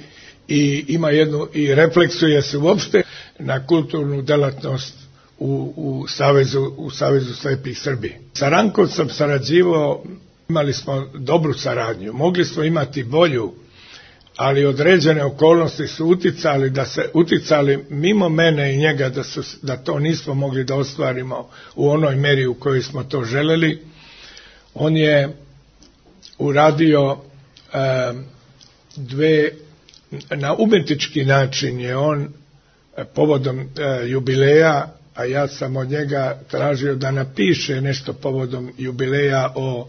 i ima jednu, i refleksuje se uopšte na kulturnu delatnost u, u, Savezu, u Savezu slepih Srbije. Sa Rankom sam sarađivao, imali smo dobru saradnju, mogli smo imati bolju, ali određene okolnosti su uticali da se uticali mimo mene i njega, da, su, da to nismo mogli da ostvarimo u onoj meri u kojoj smo to želeli. On je uradio e, dve, na umetnički način je on e, povodom e, jubileja, a ja sam od njega tražio da napiše nešto povodom jubileja o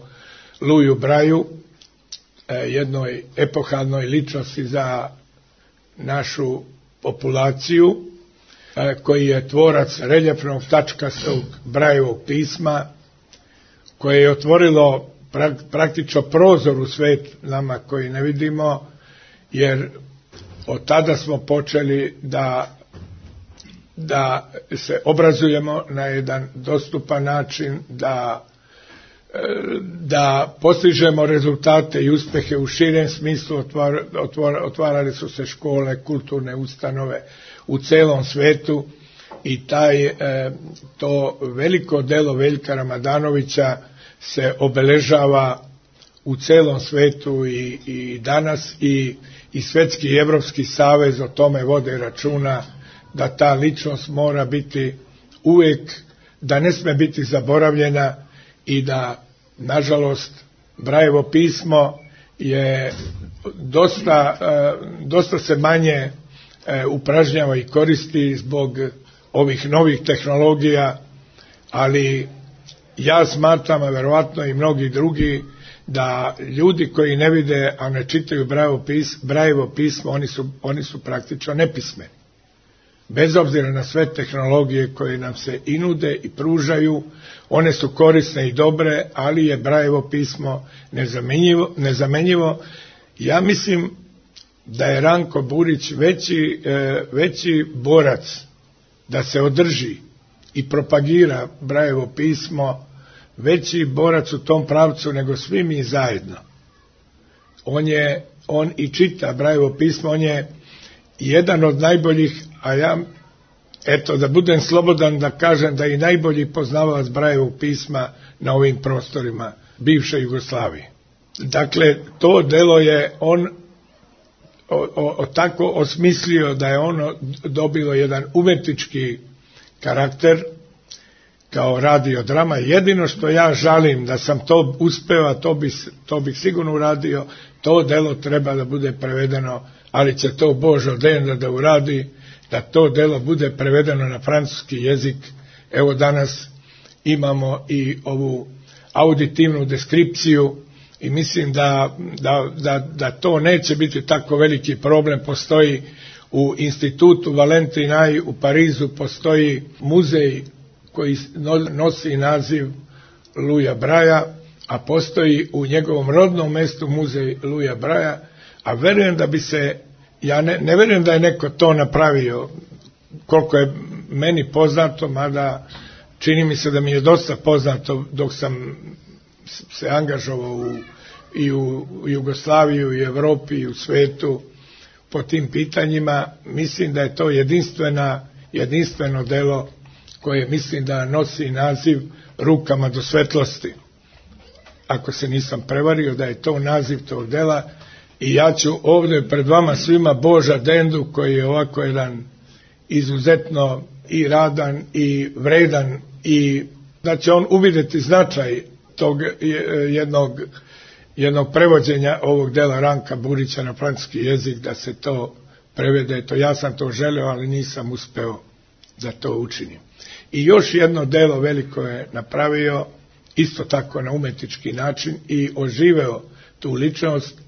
Luju Braju, e, jednoj epohalnoj ličnosti za našu populaciju, e, koji je tvorac reljefnog tačkastog Brajevog pisma, koje je otvorilo praktično prozor u svet nama koji ne vidimo, jer od tada smo počeli da, da se obrazujemo na jedan dostupan način, da, da postižemo rezultate i uspehe u širem smislu. Otvar, otvar, otvarali su se škole, kulturne ustanove u celom svetu, i taj, to veliko delo Veljka Ramadanovića se obeležava u celom svetu i, i danas, i, i Svetski i Evropski savez o tome vode računa, da ta ličnost mora biti uvek, da ne sme biti zaboravljena, i da, nažalost, Brajevo pismo je dosta, dosta se manje upražnjava i koristi zbog ovih novih tehnologija, ali ja smatram, a verovatno i mnogi drugi, da ljudi koji ne vide, a ne čitaju Brajevo pismo, Brajevo pismo oni, su, oni su praktično nepismeni. Bez obzira na sve tehnologije koje nam se i nude i pružaju, one su korisne i dobre, ali je Brajevo pismo nezamenjivo. nezamenjivo. Ja mislim da je Ranko Burić veći, veći borac da se održi i propagira Brajevo pismo, veći borac u tom pravcu nego svi mi zajedno. On je, on i čita Brajevo pismo, on je jedan od najboljih, a ja, eto, da budem slobodan da kažem da je i najbolji poznavalac Brajevog pisma na ovim prostorima bivše Jugoslavije. Dakle, to delo je on o, o, o tako osmislio da je ono dobilo jedan umetnički karakter kao radiodrama. Jedino što ja žalim da sam to uspeo, a to, bi, to bih sigurno uradio, to delo treba da bude prevedeno, ali će to Božo odenda da uradi, da to delo bude prevedeno na francuski jezik. Evo danas imamo i ovu auditivnu deskripciju i mislim da, da, da, da to neće biti tako veliki problem. Postoji u institutu Valentinaj u Parizu, postoji muzej koji nosi naziv Luja Braja, a postoji u njegovom rodnom mestu muzej Luja Braja, a verujem da bi se, ja ne, ne verujem da je neko to napravio, koliko je meni poznato, mada čini mi se da mi je dosta poznato dok sam se angažovao u, i u Jugoslaviji, u Evropi i u svetu po tim pitanjima. Mislim da je to jedinstvena, jedinstveno delo koje mislim da nosi naziv Rukama do svetlosti. Ako se nisam prevario da je to naziv tog dela, i ja ću ovdje pred vama svima Boža Dendu, koji je ovako jedan izuzetno i radan i vredan, i da će on uvidjeti značaj tog jednog, jednog prevođenja ovog dela Ranka Burića na francuski jezik, da se to prevede. To ja sam to želeo, ali nisam uspeo da to učinim. I još jedno delo veliko je napravio, isto tako na umetnički način, i oživeo tu ličnost.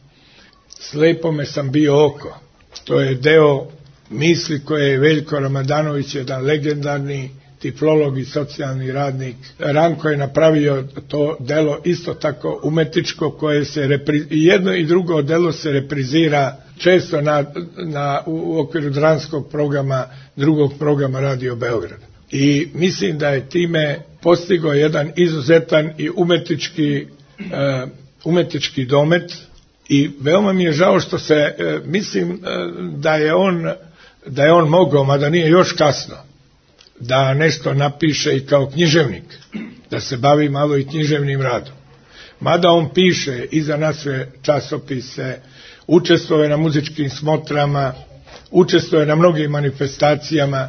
Slepome sam bio oko. To je deo misli koje je Veljko Ramadanović, jedan legendarni tiflolog i socijalni radnik. Ranko je napravio to delo isto tako umetničko, koje se repri... jedno i drugo delo se reprizira često na, na, u okviru dramskog programa, drugog programa Radio Beograd. I mislim da je time postigao jedan izuzetan i umetnički, uh, umetnički domet, i veoma mi je žao što se, uh, mislim uh, da je on da je on mogao, mada nije još kasno, da nešto napiše i kao književnik, da se bavi malo i književnim radom. Mada on piše i za naše časopise, učestvuje na muzičkim smotrama, učestvuje na mnogim manifestacijama.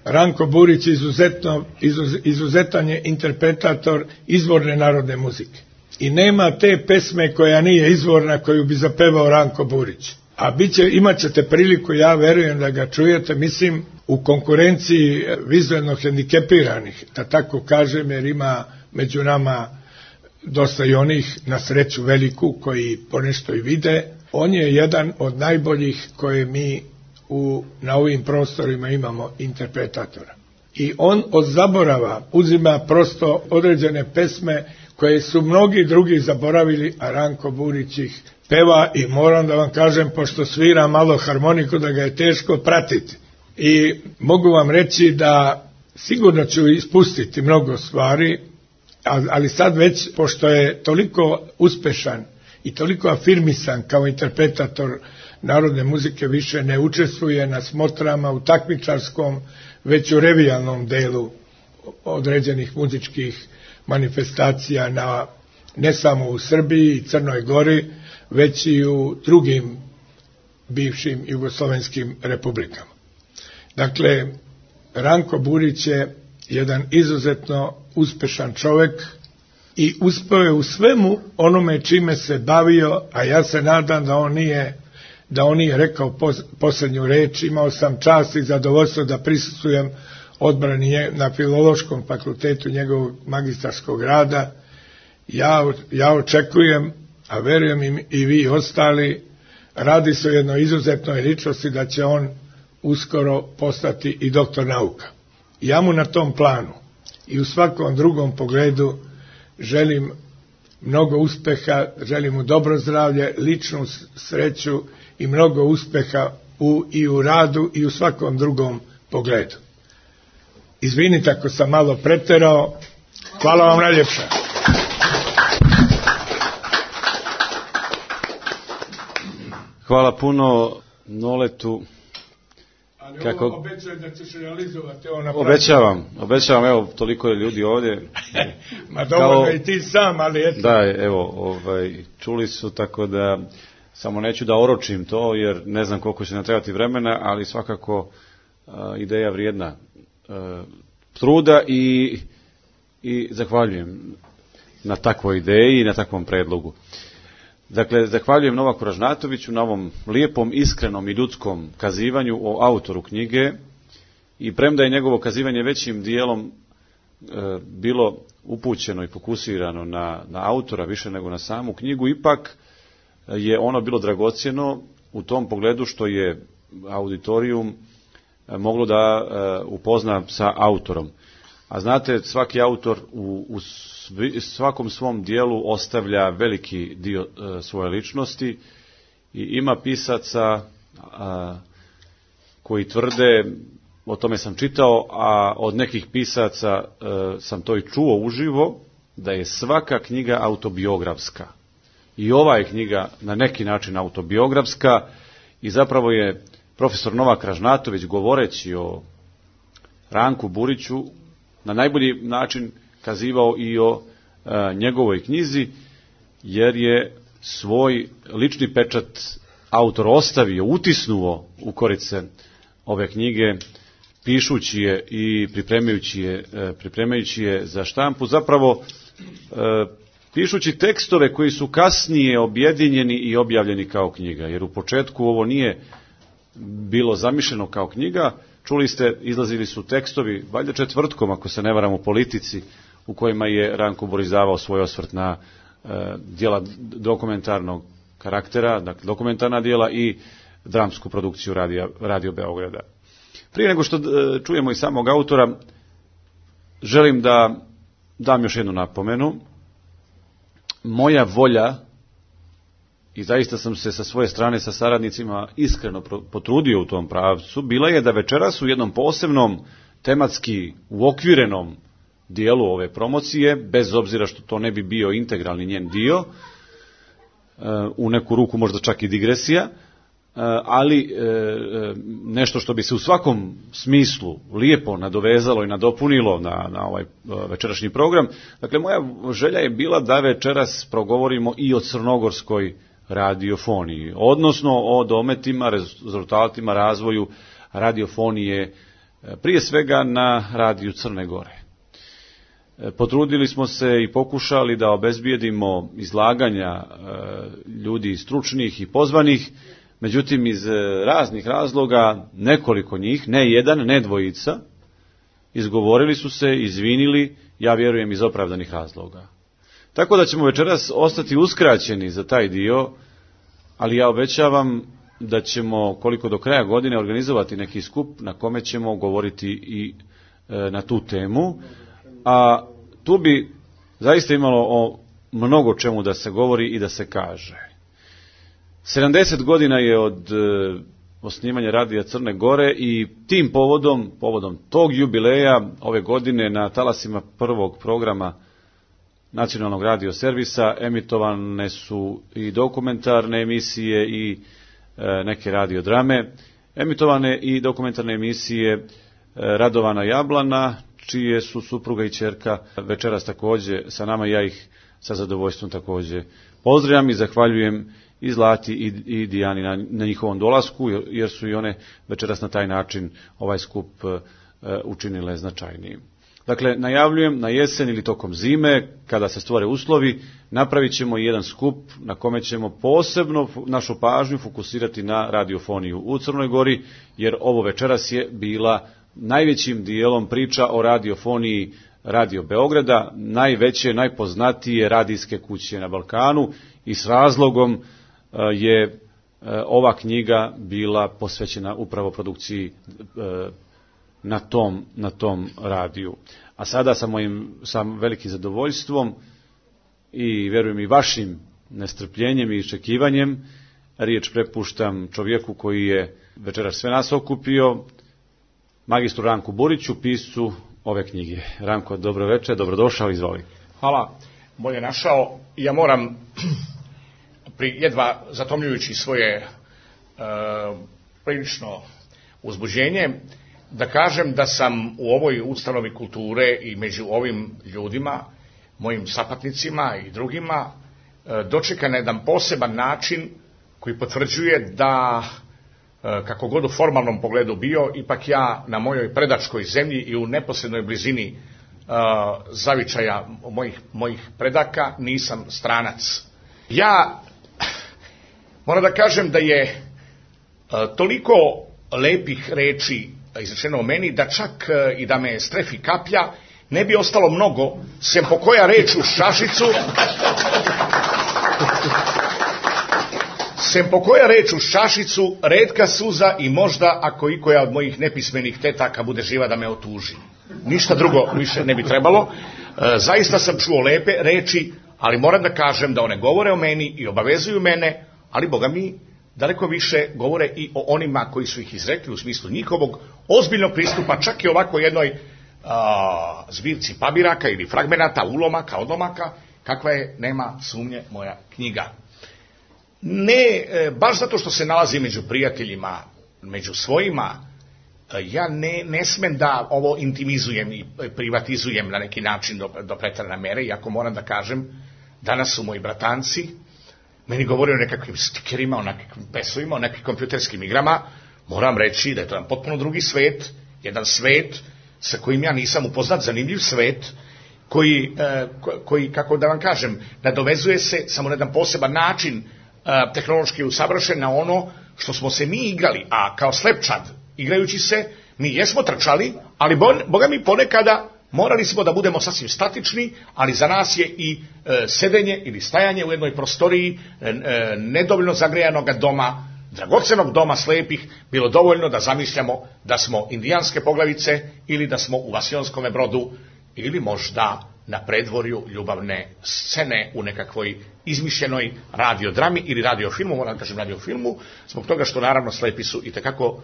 Ranko Burić izuzetno, izuz, izuzetan je interpretator izvorne narodne muzike. I nema te pesme koja nije izvorna koju bi zapevao Ranko Burić. A biće, imat ćete priliku, ja verujem da ga čujete, mislim, u konkurenciji vizualno hendikepiranih, da tako kažem, jer ima među nama dosta i onih, na sreću veliku, koji ponešto i vide. On je jedan od najboljih koje mi u, na ovim prostorima imamo interpretatora. I on od zaborava uzima prosto određene pesme koje su mnogi drugi zaboravili, a Ranko Burić ih peva, i moram da vam kažem, pošto svira malo harmoniku, da ga je teško pratiti. I mogu vam reći da sigurno ću ispustiti mnogo stvari, ali sad već, pošto je toliko uspešan i toliko afirmisan kao interpretator narodne muzike, više ne učestvuje na smotrama u takmičarskom, već u revijalnom delu određenih muzičkih manifestacija, na, ne samo u Srbiji i Crnoj Gori, već i u drugim bivšim jugoslovenskim republikama. Dakle, Ranko Burić je jedan izuzetno uspešan čovek i uspeo je u svemu onome čime se bavio, a ja se nadam da on nije, da on nije rekao posljednju reč. Imao sam čast i zadovoljstvo da prisustvujem odbrani na Filološkom fakultetu njegovog magistarskog rada. Ja, ja očekujem, a verujem i, i vi ostali, radi se o jednoj izuzetnoj ličnosti, da će on uskoro postati i doktor nauka. Ja mu na tom planu i u svakom drugom pogledu želim mnogo uspeha, želim mu dobro zdravlje, ličnu sreću i mnogo uspeha u, i u radu i u svakom drugom pogledu. Izvinite ako sam malo preterao. Hvala vam najljepša. Hvala puno Noletu. Ali kako... ovo obećaj da ćeš realizovati ovo na Obećavam, obećavam, evo, toliko je ljudi ovdje. Ma dovoljno kao... i ti sam, ali eto. Da, evo, ovaj, čuli su, tako da samo neću da oročim to, jer ne znam koliko će nam trebati vremena, ali svakako a, ideja vrijedna a, truda, i, i zahvaljujem na takvoj ideji i na takvom predlogu. Dakle, zahvaljujem Novaku Ražnatoviću na ovom lijepom, iskrenom i ljudskom kazivanju o autoru knjige, i premda je njegovo kazivanje većim dijelom e, bilo upućeno i fokusirano na, na autora više nego na samu knjigu, ipak je ono bilo dragocjeno u tom pogledu što je auditorijum moglo da e, upozna sa autorom. A znate, svaki autor u, u svakom svom dijelu ostavlja veliki dio e, svoje ličnosti, i ima pisaca a, koji tvrde o tome sam čitao, a od nekih pisaca e, sam to i čuo uživo, da je svaka knjiga autobiografska. I ova je knjiga na neki način autobiografska i zapravo je profesor Novak Ražnatović, govoreći o Ranku Buriću, na najbolji način kazivao i o e, njegovoj knjizi, jer je svoj lični pečat autor ostavio, utisnuo u korice ove knjige, pišući je i pripremajući je, e, pripremajući je za štampu, zapravo e, pišući tekstove koji su kasnije objedinjeni i objavljeni kao knjiga, jer u početku ovo nije bilo zamišljeno kao knjiga. Čuli ste, izlazili su tekstovi, valjda četvrtkom, ako se ne varam, u Politici, u kojima je Ranko Burić davao svoj osvrt na e, dijela dokumentarnog karaktera, dakle dokumentarna dijela i dramsku produkciju Radio, Radio Beograda. Prije nego što e, čujemo i samog autora, želim da dam još jednu napomenu. Moja volja, i zaista sam se sa svoje strane sa saradnicima iskreno potrudio u tom pravcu, bila je da večeras u jednom posebnom tematski uokvirenom dijelu ove promocije, bez obzira što to ne bi bio integralni njen dio, u neku ruku možda čak i digresija, ali nešto što bi se u svakom smislu lijepo nadovezalo i nadopunilo na, na ovaj večerašnji program. Dakle, moja želja je bila da večeras progovorimo i o crnogorskoj radiofoniji, odnosno o dometima, rezultatima, razvoju radiofonije, prije svega na radiju Crne Gore. Potrudili smo se i pokušali da obezbijedimo izlaganja ljudi stručnih i pozvanih, međutim iz raznih razloga nekoliko njih, ne jedan, ne dvojica, izgovorili su se, izvinili, ja vjerujem iz opravdanih razloga. Tako da ćemo večeras ostati uskraćeni za taj dio, ali ja obećavam da ćemo koliko do kraja godine organizovati neki skup na kome ćemo govoriti i e, na tu temu, a tu bi zaista imalo o mnogo čemu da se govori i da se kaže. sedamdeset godina je od e, osnivanja Radija Crne Gore i tim povodom, povodom tog jubileja ove godine na talasima prvog programa nacionalnog radio servisa emitovane su i dokumentarne emisije i e, neke radiodrame, emitovane i dokumentarne emisije e, Radovana Jablana, čije su supruga i ćerka večeras također sa nama, ja ih sa zadovoljstvom također pozdravljam i zahvaljujem i Zlati i, i Dijani na, na njihovom dolasku, jer su i one večeras na taj način ovaj skup e, učinile značajnijim. Dakle, najavljujem na jesen ili tokom zime, kada se stvore uslovi, napravit ćemo jedan skup na kome ćemo posebno našu pažnju fokusirati na radiofoniju u Crnoj Gori, jer ovo večeras je bila najvećim dijelom priča o radiofoniji Radio Beograda, najveće, najpoznatije radijske kuće na Balkanu, i s razlogom je ova knjiga bila posvećena upravo produkciji na tom, na tom radiju. A sada sa mojim sam velikim zadovoljstvom i vjerujem i vašim nestrpljenjem i iščekivanjem riječ prepuštam čovjeku koji je večeras sve nas okupio, magistru Ranku Buriću, piscu ove knjige. Ranko, dobro večer, dobrodošao, izvoli. Hvala, bolje našao. Ja moram, pri jedva zatomljujući svoje e, prilično uzbuđenje, da kažem da sam u ovoj ustanovi kulture i među ovim ljudima, mojim sapatnicima i drugima, dočekan na jedan poseban način koji potvrđuje da, kako god u formalnom pogledu bio, ipak ja na mojoj predačkoj zemlji i u neposrednoj blizini zavičaja mojih, mojih predaka nisam stranac. Ja moram da kažem da je toliko lepih reči izrečeno o meni, da čak i da me strefi kaplja, ne bi ostalo mnogo, sem po koja reč u šašicu, sem po koja reč u šašicu, retka suza i možda, ako i koja od mojih nepismenih tetaka bude živa, da me otuži. Ništa drugo više ne bi trebalo. Zaista sam čuo lepe reči, ali moram da kažem da one govore o meni i obavezuju mene, ali Boga mi, daleko više govore i o onima koji su ih izrekli u smislu njihovog ozbiljnog pristupa, čak i ovako jednoj a, zbirci pabiraka ili fragmenata, ulomaka, odlomaka, kakva je, nema sumnje, moja knjiga. Ne, baš zato što se nalazi među prijateljima, među svojima, ja ne, ne smem da ovo intimizujem i privatizujem na neki način do, do pretarane mere, iako moram da kažem, danas su moji bratanci meni govori o nekakvim stikerima, o nekakvim pesovima, o nekakvim kompjuterskim igrama. Moram reći da je to jedan potpuno drugi svet, jedan svet sa kojim ja nisam upoznat, zanimljiv svet, koji, eh, koji, kako da vam kažem, nadovezuje se samo na jedan poseban način eh, tehnološki usavršen na ono što smo se mi igrali, a kao slepčad, igrajući se, mi jesmo trčali, ali bo, boga mi ponekada morali smo da budemo sasvim statični, ali za nas je i e, sedenje ili stajanje u jednoj prostoriji e, e, nedovoljno zagrejanog doma, dragocenog doma slepih, bilo dovoljno da zamišljamo da smo indijanske poglavice ili da smo u Vasionskome Brodu ili možda na predvorju ljubavne scene u nekakvoj izmišljenoj radiodrami ili radiofilmu, moram kažem radiofilmu, zbog toga što naravno slepi su i tekako uh,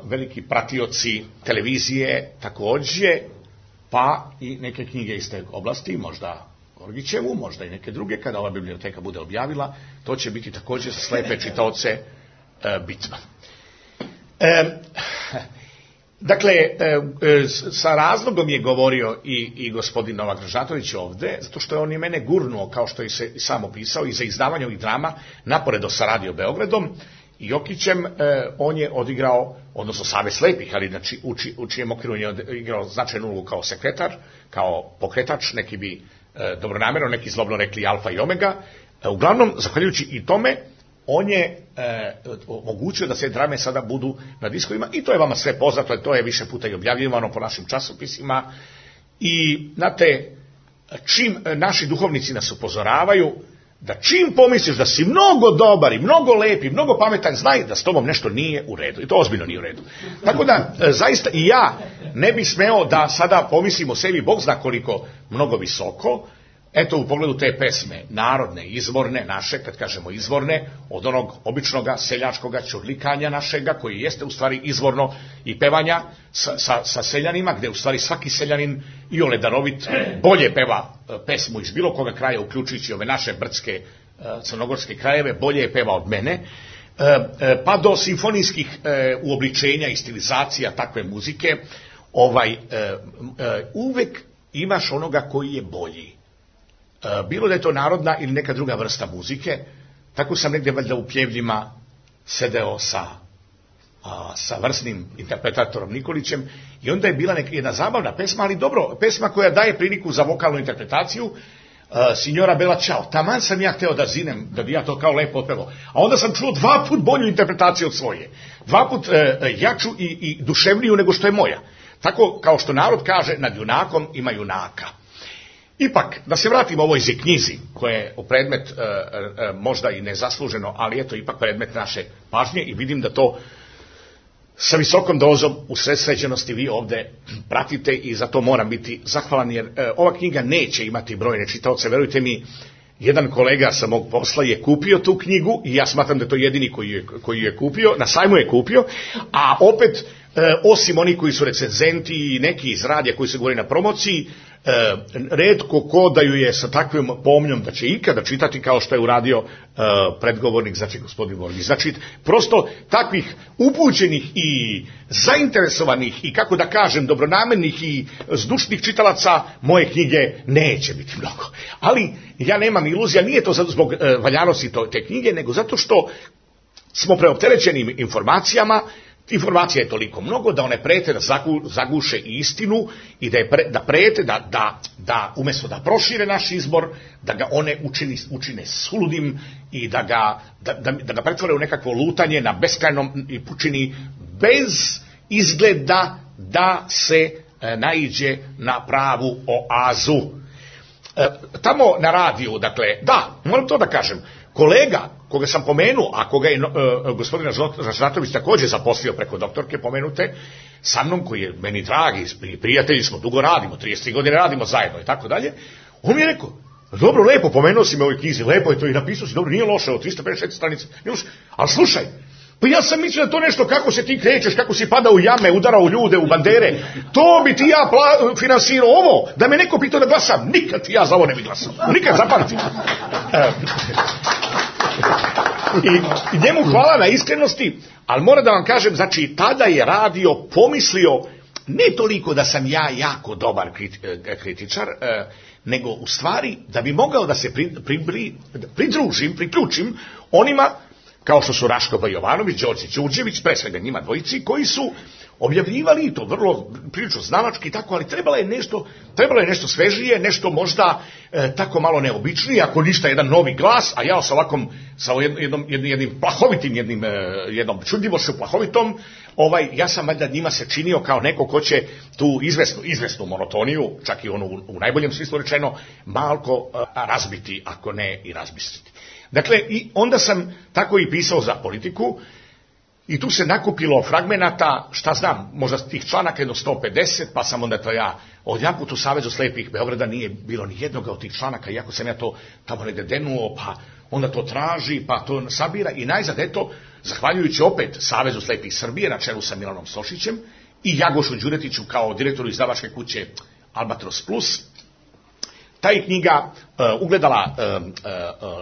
veliki pratioci televizije takođe, pa i neke knjige iz te oblasti, možda Gorgićevu, možda i neke druge, kada ova biblioteka bude objavila, to će biti takođe za slepe čitaoce uh, bitno. Um, Dakle, sa razlogom je govorio i, i gospodin Novak Držatović ovde, zato što je on i mene gurnuo, kao što je se sam opisao, i za izdavanje ovih drama, naporedo sa Radio Beogradom i Jokićem, on je odigrao, odnosno Savez slepih, ali znači, u, či, u čijem okviru je odigrao značajnu ulogu kao sekretar, kao pokretač, neki bi dobronamerno, neki zlobno rekli alfa i omega. Uglavnom, zahvaljujući i tome, on je e, omogućio da se drame sada budu na diskovima i to je vama sve poznato, to je više puta i objavljivano po našim časopisima i znate, čim naši duhovnici nas upozoravaju da čim pomisliš da si mnogo dobar i mnogo lep i mnogo pametan, znaj da s tobom nešto nije u redu i to ozbiljno nije u redu. Tako da, e, zaista i ja ne bih smeo da sada pomislim o sebi, Bog zna koliko mnogo visoko. Eto, u pogledu te pesme, narodne, izvorne, naše, kad kažemo izvorne, od onog običnoga seljačkoga ćurlikanja našega, koji jeste u stvari izvorno i pevanja sa, sa, sa seljanima, gde u stvari svaki seljanin i ole darovit bolje peva pesmu iz bilo koga kraja, uključujući ove naše brdske crnogorske krajeve, bolje je peva od mene, pa do simfonijskih uobličenja i stilizacija takve muzike, ovaj, uvek imaš onoga koji je bolji. Bilo da je to narodna ili neka druga vrsta muzike, tako sam negdje valjda u Pljevljima sedeo sa, a, sa vrsnim interpretatorom Nikolićem i onda je bila neka jedna zabavna pesma, ali dobro, pesma koja daje priliku za vokalnu interpretaciju, a, Signora Bella Ciao. Taman sam ja hteo da zinem, da bi ja to kao lepo otpevao, a onda sam čuo dva put bolju interpretaciju od svoje, dva put e, jaču i, i duševniju nego što je moja. Tako kao što narod kaže, nad junakom ima junaka. Ipak, da se vratimo ovoj knjizi, koja je predmet e, e, možda i nezasluženo, ali eto ipak predmet naše pažnje i vidim da to sa visokom dozom usredsređenosti vi ovde pratite i za to moram biti zahvalan, jer e, ova knjiga neće imati brojne čitaoce, verujte mi, jedan kolega sa mog posla je kupio tu knjigu i ja smatram da je to jedini koji je, koji je kupio, na sajmu je kupio, a opet, e, osim oni koji su recenzenti i neki iz radija koji se govori na promociji, E, retko ko da ju je sa takvom pomnjom da će ikada čitati kao što je uradio e, predgovornik, znači gospodin Borgić. Znači, prosto takvih upućenih i zainteresovanih i, kako da kažem, dobronamernih i zdušnih čitalaca moje knjige neće biti mnogo. Ali ja nemam iluzija, nije to zbog e, valjanosti te knjige, nego zato što smo preopterećeni informacijama. Informacija je toliko mnogo da one prete da zaguše istinu i da, je pre, da prete da, da, da umjesto da prošire naš izbor, da ga one učini, učine suludim i da ga, da, da, da ga pretvore u nekakvo lutanje na beskrajnom i pučini bez izgleda da se e, naiđe na pravu oazu. E, tamo na radiju, dakle, da, moram to da kažem, kolega koga sam pomenuo, a koga je uh, gospodin Žnatović također zaposlio preko doktorke pomenute, sa mnom, koji je meni dragi, prijatelji smo, dugo radimo, trideset tri godine radimo zajedno i tako dalje, on mi je rekao, dobro, lepo, pomenuo si me u ovoj knjizi, lepo je to i napisao si, dobro, nije loše, od trista pedeset šest stranica, Ali slušaj, pa ja sam mislio da to nešto kako se ti krećeš, kako si pada u jame, udarao u ljude, u bandere, to bi ti ja pla, finansirao ovo, da me neko pitao da glasam, nikad ti ja za ovo ne bi glasao, nikad, zapamtim. I njemu hvala na iskrenosti, ali moram da vam kažem, znači tada je radio pomislio, ne toliko da sam ja jako dobar kritičar, nego u stvari da bi mogao da se pri, pri, pri, pridružim, priključim onima kao što su Raško Jovanović, Đorđe Đurđević, pre svega njima dvojici, koji su objavljivali i to vrlo prilično znalački i tako, ali trebalo je nešto, trebalo je nešto svežije, nešto možda e, tako malo neobičnije, ako ništa jedan novi glas, a ja sa ovakvom, sa jednom, jednim, jednim plahovitim, jednim, e, jednom čudljivošću plahovitom, ovaj, ja sam valjda njima se činio kao neko ko će tu izvesnu, izvesnu monotoniju, čak i onu u, u najboljem smislu rečeno, malko e, razbiti, ako ne i razbistriti. Dakle, i onda sam tako i pisao za Politiku, i tu se nakupilo fragmenata, šta znam, možda tih članaka jedno sto pedeset, pa sam onda to ja, odjedanput u Savezu slepih Beograda nije bilo ni jednog od tih članaka, iako sam ja to tamo negde denuo, pa onda to traži, pa to sabira, i najzad, eto, zahvaljujući opet Savezu slepih Srbije, na čelu sa Milanom Sošićem, i Jagošu Đuretiću kao direktoru izdavačke kuće Albatros Plus, ta je knjiga uh, ugledala uh, uh,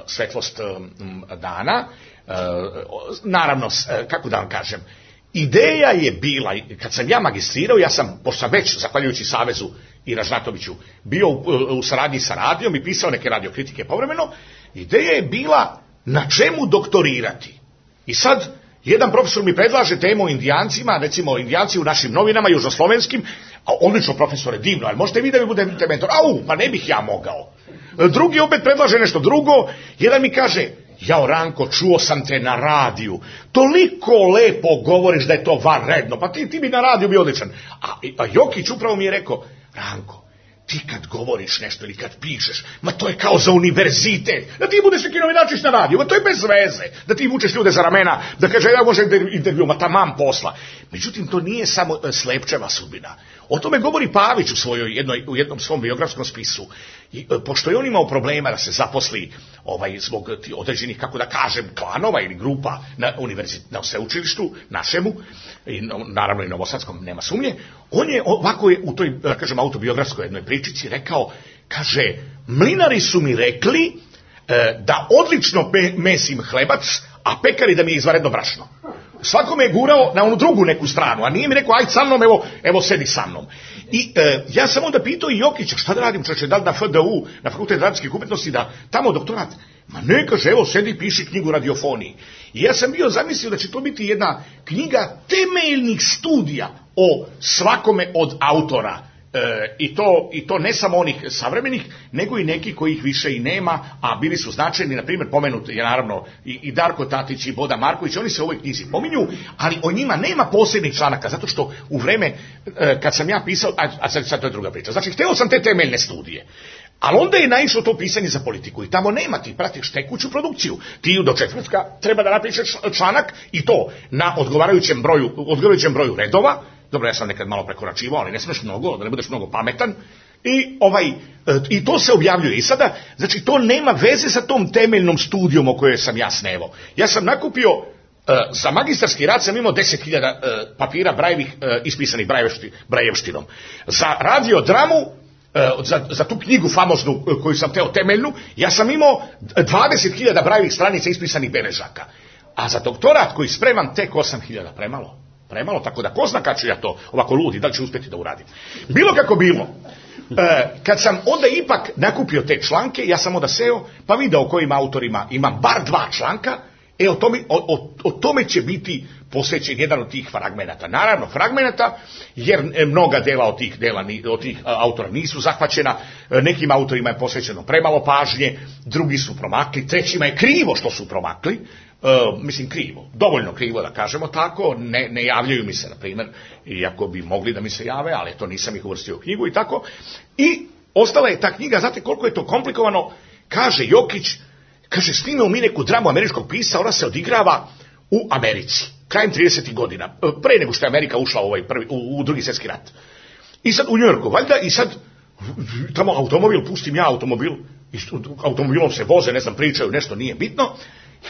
svetlost uh, dana. Uh, naravno, uh, kako da vam kažem, ideja je bila, kad sam ja magistrirao, ja sam, pošto sam već, zahvaljujući Savezu i Ražnatoviću, bio u, u saradnji sa radijom i pisao neke radiokritike povremeno, ideja je bila na čemu doktorirati. I sad, jedan profesor mi predlaže temu o Indijancima, recimo Indijanci u našim novinama, južnoslovenskim, a odlično profesore, divno, ali možete vi da mi budete mentor? Au, pa ne bih ja mogao. Drugi opet predlaže nešto drugo, jedan mi kaže, jao Ranko, čuo sam te na radiju, toliko lepo govoriš da je to vanredno, pa ti, ti bi na radiju bio odličan. A, a Jokić upravo mi je rekao, Ranko, ti kad govoriš nešto ili kad pišeš, ma to je kao za univerzitet, da ti budeš neki novinačić na radiju, ma to je bez veze, da ti vučeš ljude za ramena, da kaže ja možem intervju, ma tamam posla. Međutim, to nije samo Slepčeva sudbina. O tome govori Pavić u, svojoj jednoj, u jednom svom biografskom spisu. I, pošto je on imao problema da se zaposli ovaj, zbog određenih, kako da kažem, klanova ili grupa na, na sveučilištu našemu, i naravno i novosadskom, nema sumnje, on je ovako je u toj, da kažem, autobiografskoj jednoj pričici rekao, kaže, mlinari su mi rekli e, da odlično pe, mesim hlebac, a pekari da mi je izvanredno brašno. Svako me je gurao na onu drugu neku stranu, a nije mi rekao, aj sa mnom, evo, evo sedi sa mnom. I e, ja sam onda pitao i Jokića, šta da radim, čoče, da li na F D U, na Fakultet radijskih umetnosti, da tamo doktorat? Ma ne, kaže, evo, sedi i piši knjigu radiofoniji. I ja sam bio zamislio da će to biti jedna knjiga temeljnih studija o svakome od autora. E, i, to, I to ne samo onih savremenih, nego i neki kojih više i nema, a bili su značajni, na primjer, pomenut je naravno i, i Darko Tatić i Boda Marković, oni se u ovoj knjizi pominju, ali o njima nema posebnih članaka, zato što u vreme e, kad sam ja pisao, a, a sad, sad to je druga priča, znači hteo sam te temeljne studije. Ali onda je naišlo to pisanje za Politiku i tamo nema, ti pratiš tekuću produkciju. Ti do četvrtka treba da napišeš članak i to na odgovarajućem broju, odgovarajućem broju redova. Dobro, ja sam nekad malo prekoračivao, ali ne smeš mnogo, da ne budeš mnogo pametan. I, ovaj, i to se objavljuje. I sada, znači, to nema veze sa tom temeljnom studijom o kojoj sam ja snevao. Ja sam nakupio, uh, za magistarski rad sam imao deset hiljada uh, papira brajevih, uh, ispisanih brajevšti, brajevštinom. Za radiodramu, uh, za, za tu knjigu famoznu uh, koju sam teo temeljnu, ja sam imao dvadeset hiljada brajevih stranica ispisanih beležaka. A za doktorat koji spremam tek osam hiljada, premalo. Premalo, tako da ko zna kad ću ja to ovako ludi, da li ću uspjeti da uradim. Bilo kako bilo, e, kad sam onda ipak nakupio te članke, ja sam onda seo, pa video o kojim autorima imam bar dva članka, e o tome, o, o, o tome će biti posvećen jedan od tih fragmenata. Naravno, fragmenata, jer mnoga dela od tih, dela, od tih autora nisu zahvaćena, nekim autorima je posvećeno premalo pažnje, drugi su promakli, trećima je krivo što su promakli, Uh, mislim krivo, dovoljno krivo da kažemo tako, ne, ne javljaju mi se, na primjer, iako bi mogli da mi se jave, ali to nisam ih uvrstio u knjigu i tako. I ostala je ta knjiga, znate koliko je to komplikovano, kaže Jokić, kaže, snimao mi neku dramu američkog pisa, ona se odigrava u Americi, krajem tridesetih godina, pre nego što je Amerika ušla u, ovaj prvi, u, u drugi svjetski rat. I sad u Njujorku, valjda, i sad tamo automobil, pustim ja automobil, i automobilom se voze, ne znam, pričaju, nešto nije bitno.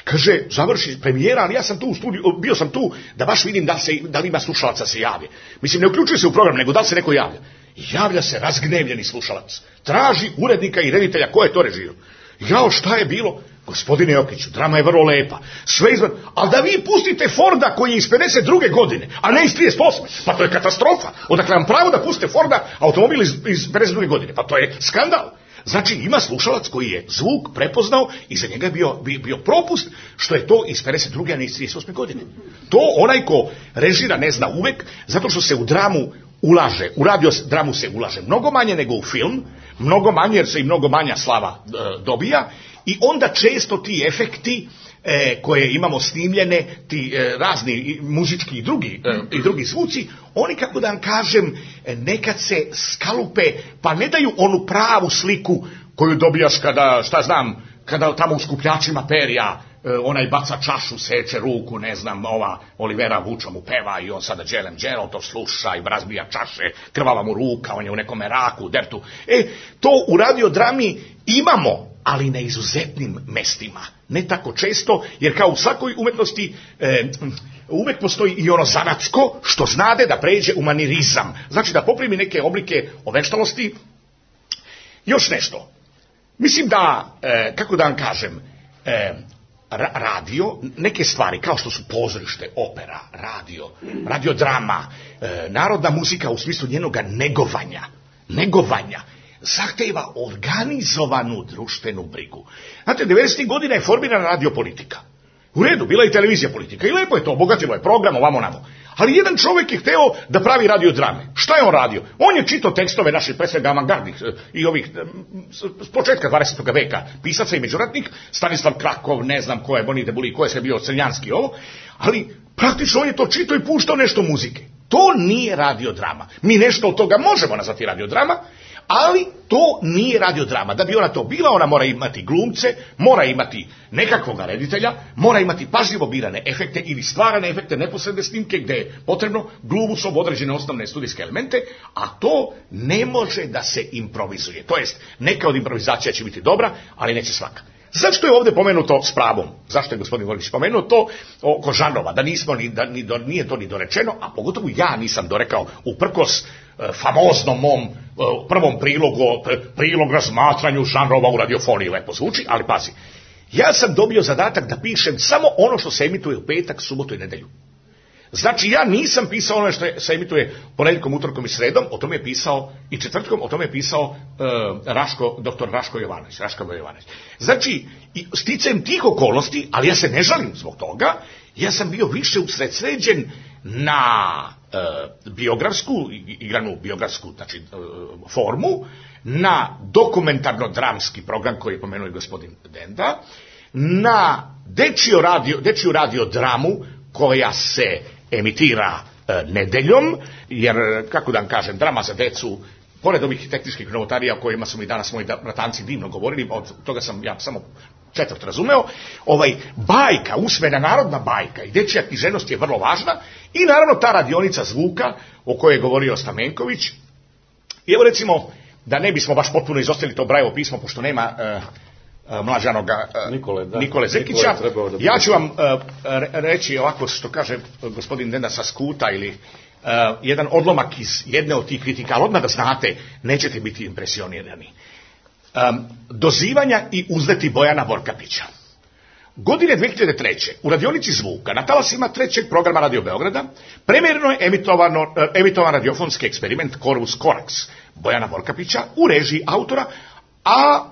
Kaže, završi premijera, ali ja sam tu u studiju, bio sam tu da baš vidim da, se, da li ima slušalaca se javi. Mislim, ne uključuje se u program, nego da li se neko javlja. Javlja se razgnevljeni slušalac. Traži urednika i reditelja ko je to režirao. Jao, šta je bilo? Gospodine Jokiću, drama je vrlo lepa. Sve izvan, ali da vi pustite Forda koji je iz pedeset druge godine, a ne iz trideset osme. Pa to je katastrofa. Odakle vam pravo da pustite Forda automobil iz, iz pedeset druge godine? Pa to je skandal. Znači ima slušalac koji je zvuk prepoznao i za njega je bio, bio, bio propust što je to iz pedeset druge a ne iz trideset osme godine. To onaj ko režira ne zna uvek, zato što se u dramu ulaže, u radio dramu se ulaže mnogo manje nego u film, mnogo manje jer se i mnogo manja slava e, dobija i onda često ti efekti e, koje imamo snimljene, ti e, razni i, muzički i drugi, e, i drugi zvuci, oni, kako da vam kažem, nekad se skalupe, pa ne daju onu pravu sliku koju dobijaš kada, šta znam, kada tamo u skupljačima perja e, onaj baca čašu, seče ruku, ne znam, ova Olivera Vuča mu peva i on sada Đelem Đero to sluša i razbija čaše, krvava mu ruka, on je u nekom meraku, dertu. E, to u radiodrami imamo, ali na izuzetnim mestima. Ne tako često, jer kao u svakoj umetnosti e, uvek postoji i ono zanatsko, što znade da pređe u manirizam. Znači da poprimi neke oblike oveštalosti. Još nešto. Mislim da, e, kako da vam kažem, e, ra- radio, neke stvari kao što su pozorište, opera, radio, radiodrama, e, narodna muzika u smislu njenoga negovanja, negovanja, zahteva organizovanu društvenu brigu. Znate, devedesetih godina je formirana radiopolitika. U redu, bila je i televizija politika. I lepo je to, obogatilo je program, ovamo namo. Ali jedan čovjek je hteo da pravi radiodrame. Šta je on radio? On je čitao tekstove naših, pre svega avangardnih i ovih, s početka dvadesetog veka, pisaca i međuratnik, Stanislav Krakov, ne znam ko je, Boni Debuli, ko je sve bio Crnjanski ovo, ali praktično on je to čitao i puštao nešto muzike. To nije radiodrama. Mi nešto od toga možemo nazvati radiodrama, ali to nije radiodrama. Da bi ona to bila, ona mora imati glumce, mora imati nekakvog reditelja, mora imati pažljivo birane efekte ili stvarane efekte, neposredne snimke gde je potrebno glumu sob određene osnovne studijske elemente, a to ne može da se improvizuje. To jest, neka od improvizacija će biti dobra, ali neće svaka. Zašto je ovdje pomenuto s pravom? Zašto je gospodin Vorgić pomenuo to oko žanrova? Da nismo ni, da, ni do, nije to ni dorečeno, a pogotovo ja nisam dorekao uprkos e, famoznom mom e, prvom prilogu, prilog razmatranju žanrova u radiofoniji, lepo zvuči, ali pazi, ja sam dobio zadatak da pišem samo ono što se emituje u petak, subotu i nedelju. Znači ja nisam pisao ono što se emituje ponedjeljkom, utorkom i sredom, o tome je pisao i četvrtkom, o tome je pisao uh, Raško, doktor Raško Jovanović, Raško Jovanović. Znači, sticajem tih okolnosti, ali ja se ne žalim zbog toga, ja sam bio više usredsređen na uh, biografsku, igranu biografsku, znači uh, formu, na dokumentarno-dramski program koji je pomenuo i gospodin Denda, na dečiju radio, dečiju radio dramu koja se emitira e, nedeljom, jer, kako da vam kažem, drama za decu, pored ovih tehničkih novotarija o kojima su mi danas moji bratanci divno govorili, od toga sam ja samo četvrt razumeo, ovaj, bajka, usmena narodna bajka i dečija književnost je vrlo važna i naravno ta radionica zvuka o kojoj je govorio Stamenković. I evo recimo, da ne bismo baš potpuno izostavili to Brajevo pismo, pošto nema e, mlađanoga Nikole, da. Nikole Zekića. Nikole da ja ću vam uh, reći ovako što kaže gospodin Denda sa skuta ili uh, jedan odlomak iz jedne od tih kritika, ali odmah da znate, nećete biti impresionirani. Um, dozivanja i uzleti Bojana Vorkapića. Godine dve hiljade treće. u radionici zvuka na talasima trećeg programa Radio Beograda premjerno je emitovano, uh, emitovan radiofonski eksperiment Corvus Corax Bojana Vorkapića u režiji autora, a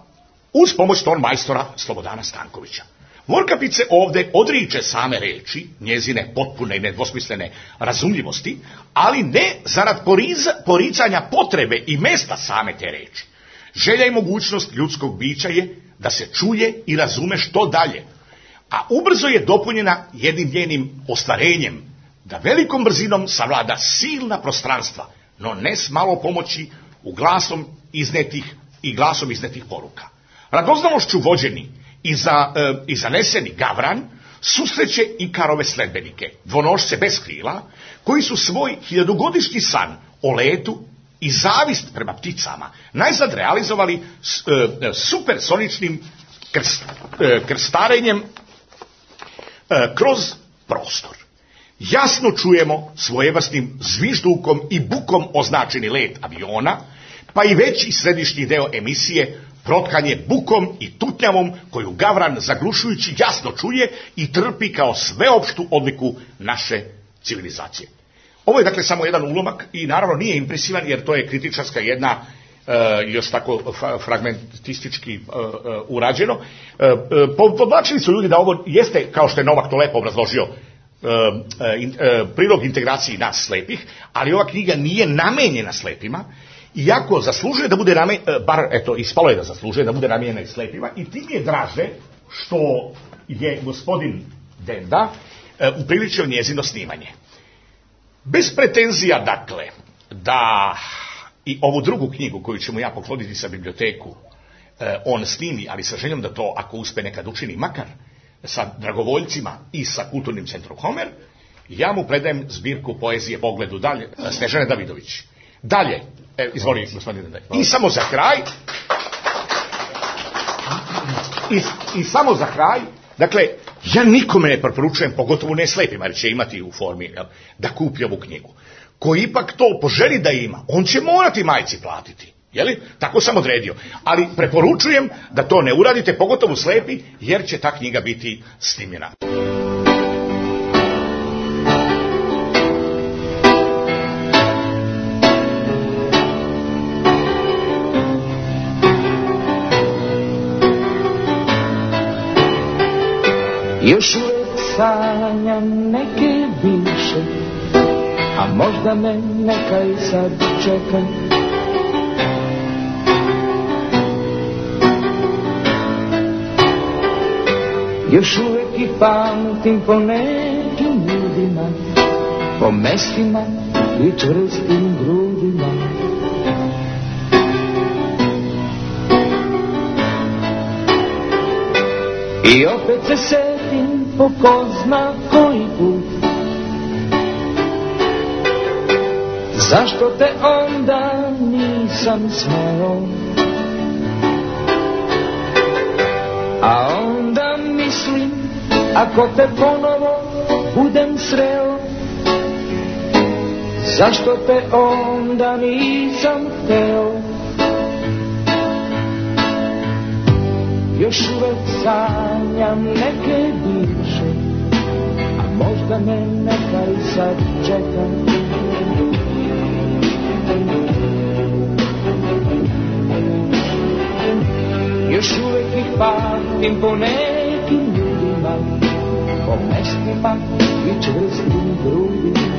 uz pomoć ton majstora Slobodana Stankovića. Vorkapić se ovdje odriče same reči, njezine potpune i nedvosmislene razumljivosti, ali ne zarad poriza, poricanja potrebe i mesta same te reči. Želja i mogućnost ljudskog bića je da se čuje i razume što dalje, a ubrzo je dopunjena jednim njenim ostvarenjem, da velikom brzinom savlada silna prostranstva, no ne s malo pomoći u glasom iznetih i glasom iznetih poruka. Radoznalošću vođeni i, za, e, i zaneseni Gavran susreće Ikarove sledbenike, dvonošce bez krila, koji su svoj hiljadugodišnji san o letu i zavist prema pticama najzad realizovali s, e, supersoničnim krst, e, krstarenjem kroz prostor. Jasno čujemo svojevrsnim zviždukom i bukom označeni let aviona, pa i veći središnji deo emisije protkan je bukom i tutnjavom koju Gavran zaglušujući jasno čuje i trpi kao sveopštu odliku naše civilizacije. Ovo je dakle samo jedan ulomak i naravno nije impresivan jer to je kritičarska jedna Uh, još tako fragmentistički uh, uh, urađeno. Uh, podvlačili su ljudi da ovo jeste, kao što je Novak to lepo obrazložio, uh, uh, in, uh, prilog integraciji nas slepih, ali ova knjiga nije namenjena slepima, iako zaslužuje da bude namenjena, uh, bar eto, ispalo je da zaslužuje da bude namenjena i slepima, i tim je draže što je gospodin Denda uh, upriličio njezino snimanje. Bez pretenzija, dakle, da i ovu drugu knjigu koju ćemo ja pokloniti sa biblioteku eh, on snimi, ali sa željom da to ako uspe nekad učini, makar sa dragovoljcima i sa kulturnim centrom Homer, ja mu predajem zbirku poezije Pogledu dalje, Snežane Davidović. Dalje, eh, izvoli gospodine Dendaj. I samo za kraj, i, i samo za kraj, dakle, ja nikome ne preporučujem, pogotovo ne slepima, jer će imati u formi, jel, da kupi ovu knjigu. Ko ipak to poželi da ima, on će morati majci platiti. Jeli? Tako sam odredio. Ali preporučujem da to ne uradite, pogotovo slepi, jer će ta knjiga biti snimljena. Još uvek sanjam neke bivše, a možda me neka i sad čeka. Još uvek ih pamtim po nekim ljudima, po mestima i čvrstim grudima. I opet se setim po ko zna koji put, zašto te onda nisam smeo. A onda mislim, ako te ponovo budem sreo, zašto te onda nisam hteo. Još uvek sanjam neke bivše, a možda me neka i sad čeka. Još uvek ih pamtim po nekim ljudima, po mestima i čvrstim grudima.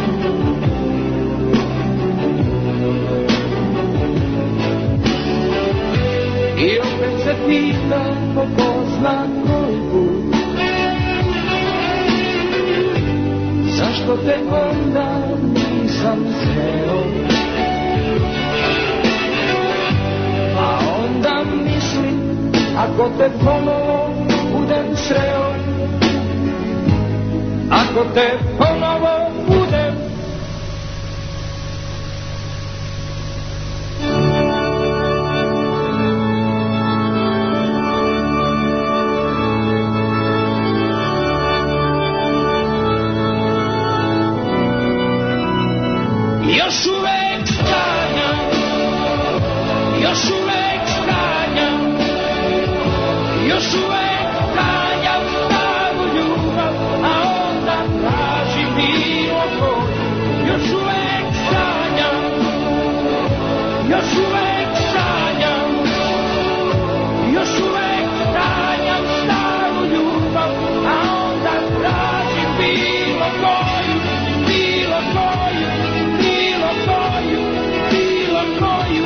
I opet se pitam po ko zna koji put, zašto te onda nisam smeo. A onda mislim, ako te ponovo budem sreo, ako te ponovo budem. Još uvek sanjam, još uvek sanjam, još uvek sanjam staru ljubav, a onda tražim bilo koju. Još uvek sanjam, još uvek sanjam, još uvek sanjam staru ljubav, a onda tražim bilo koju, bilo koju, bilo koju, bilo koju.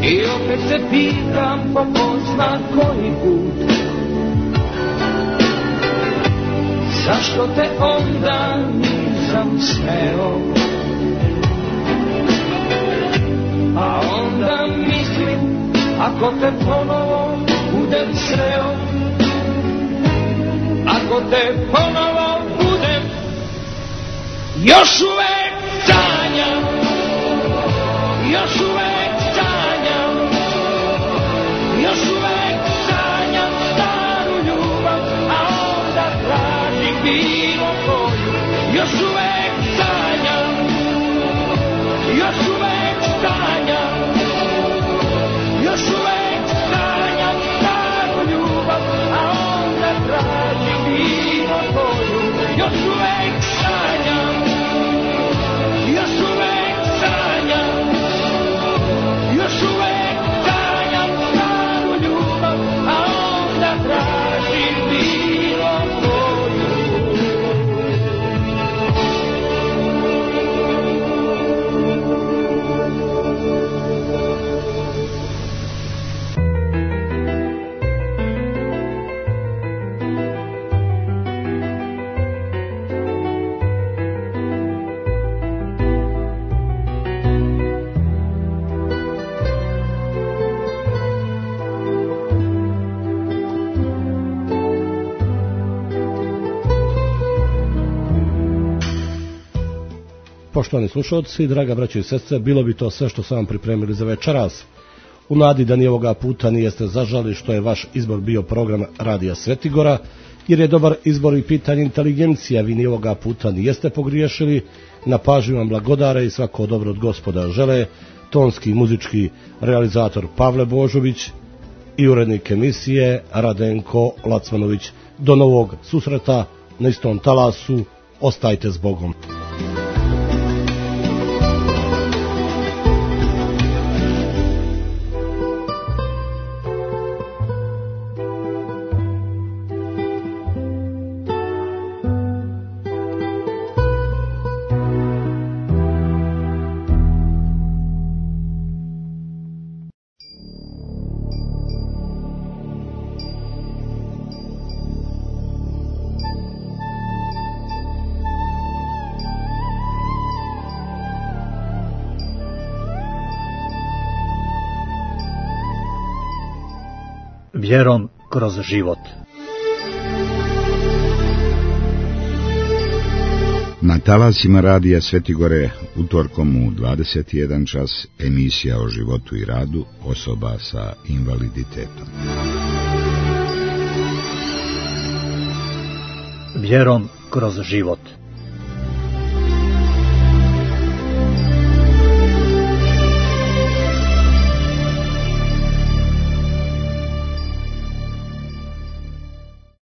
I opet se pitam po ko zna koji put, zašto te onda nisam smeo? A onda mislim, ako te ponovo budem sreo, ako te ponovo budem, još uvek sanjam, još uvek sanjam, još uvek sanjam staru ljubav, a onda tražim bilo koju. Još uvek sanjam, još uvek sanjam, još uvek sanjam staru ljubav, a onda tražim bilo koju. Još uvek sanjam, još uvek sanjam, još uvek sanjam staru ljubav, a onda tražim bilo koju. Poštovani slušalci, draga braćo i sestre, bilo bi to sve što sam vam pripremili za večeras. U nadi da ni ovoga puta nijeste zažali što je vaš izbor bio program Radija Svetigora, jer je dobar izbor i pitanje inteligencija, vi ni ovoga puta nijeste pogriješili, na pažnju vam blagodare i svako dobro od Gospoda žele, tonski i muzički realizator Pavle Božović i urednik emisije Radenko Lacmanović. Do novog susreta na istom talasu, ostajte s Bogom. Vjerom kroz život. Na talasima Radija Svetigore utorkom u dvadeset jedan čas emisija o životu i radu osoba sa invaliditetom. Vjerom kroz život.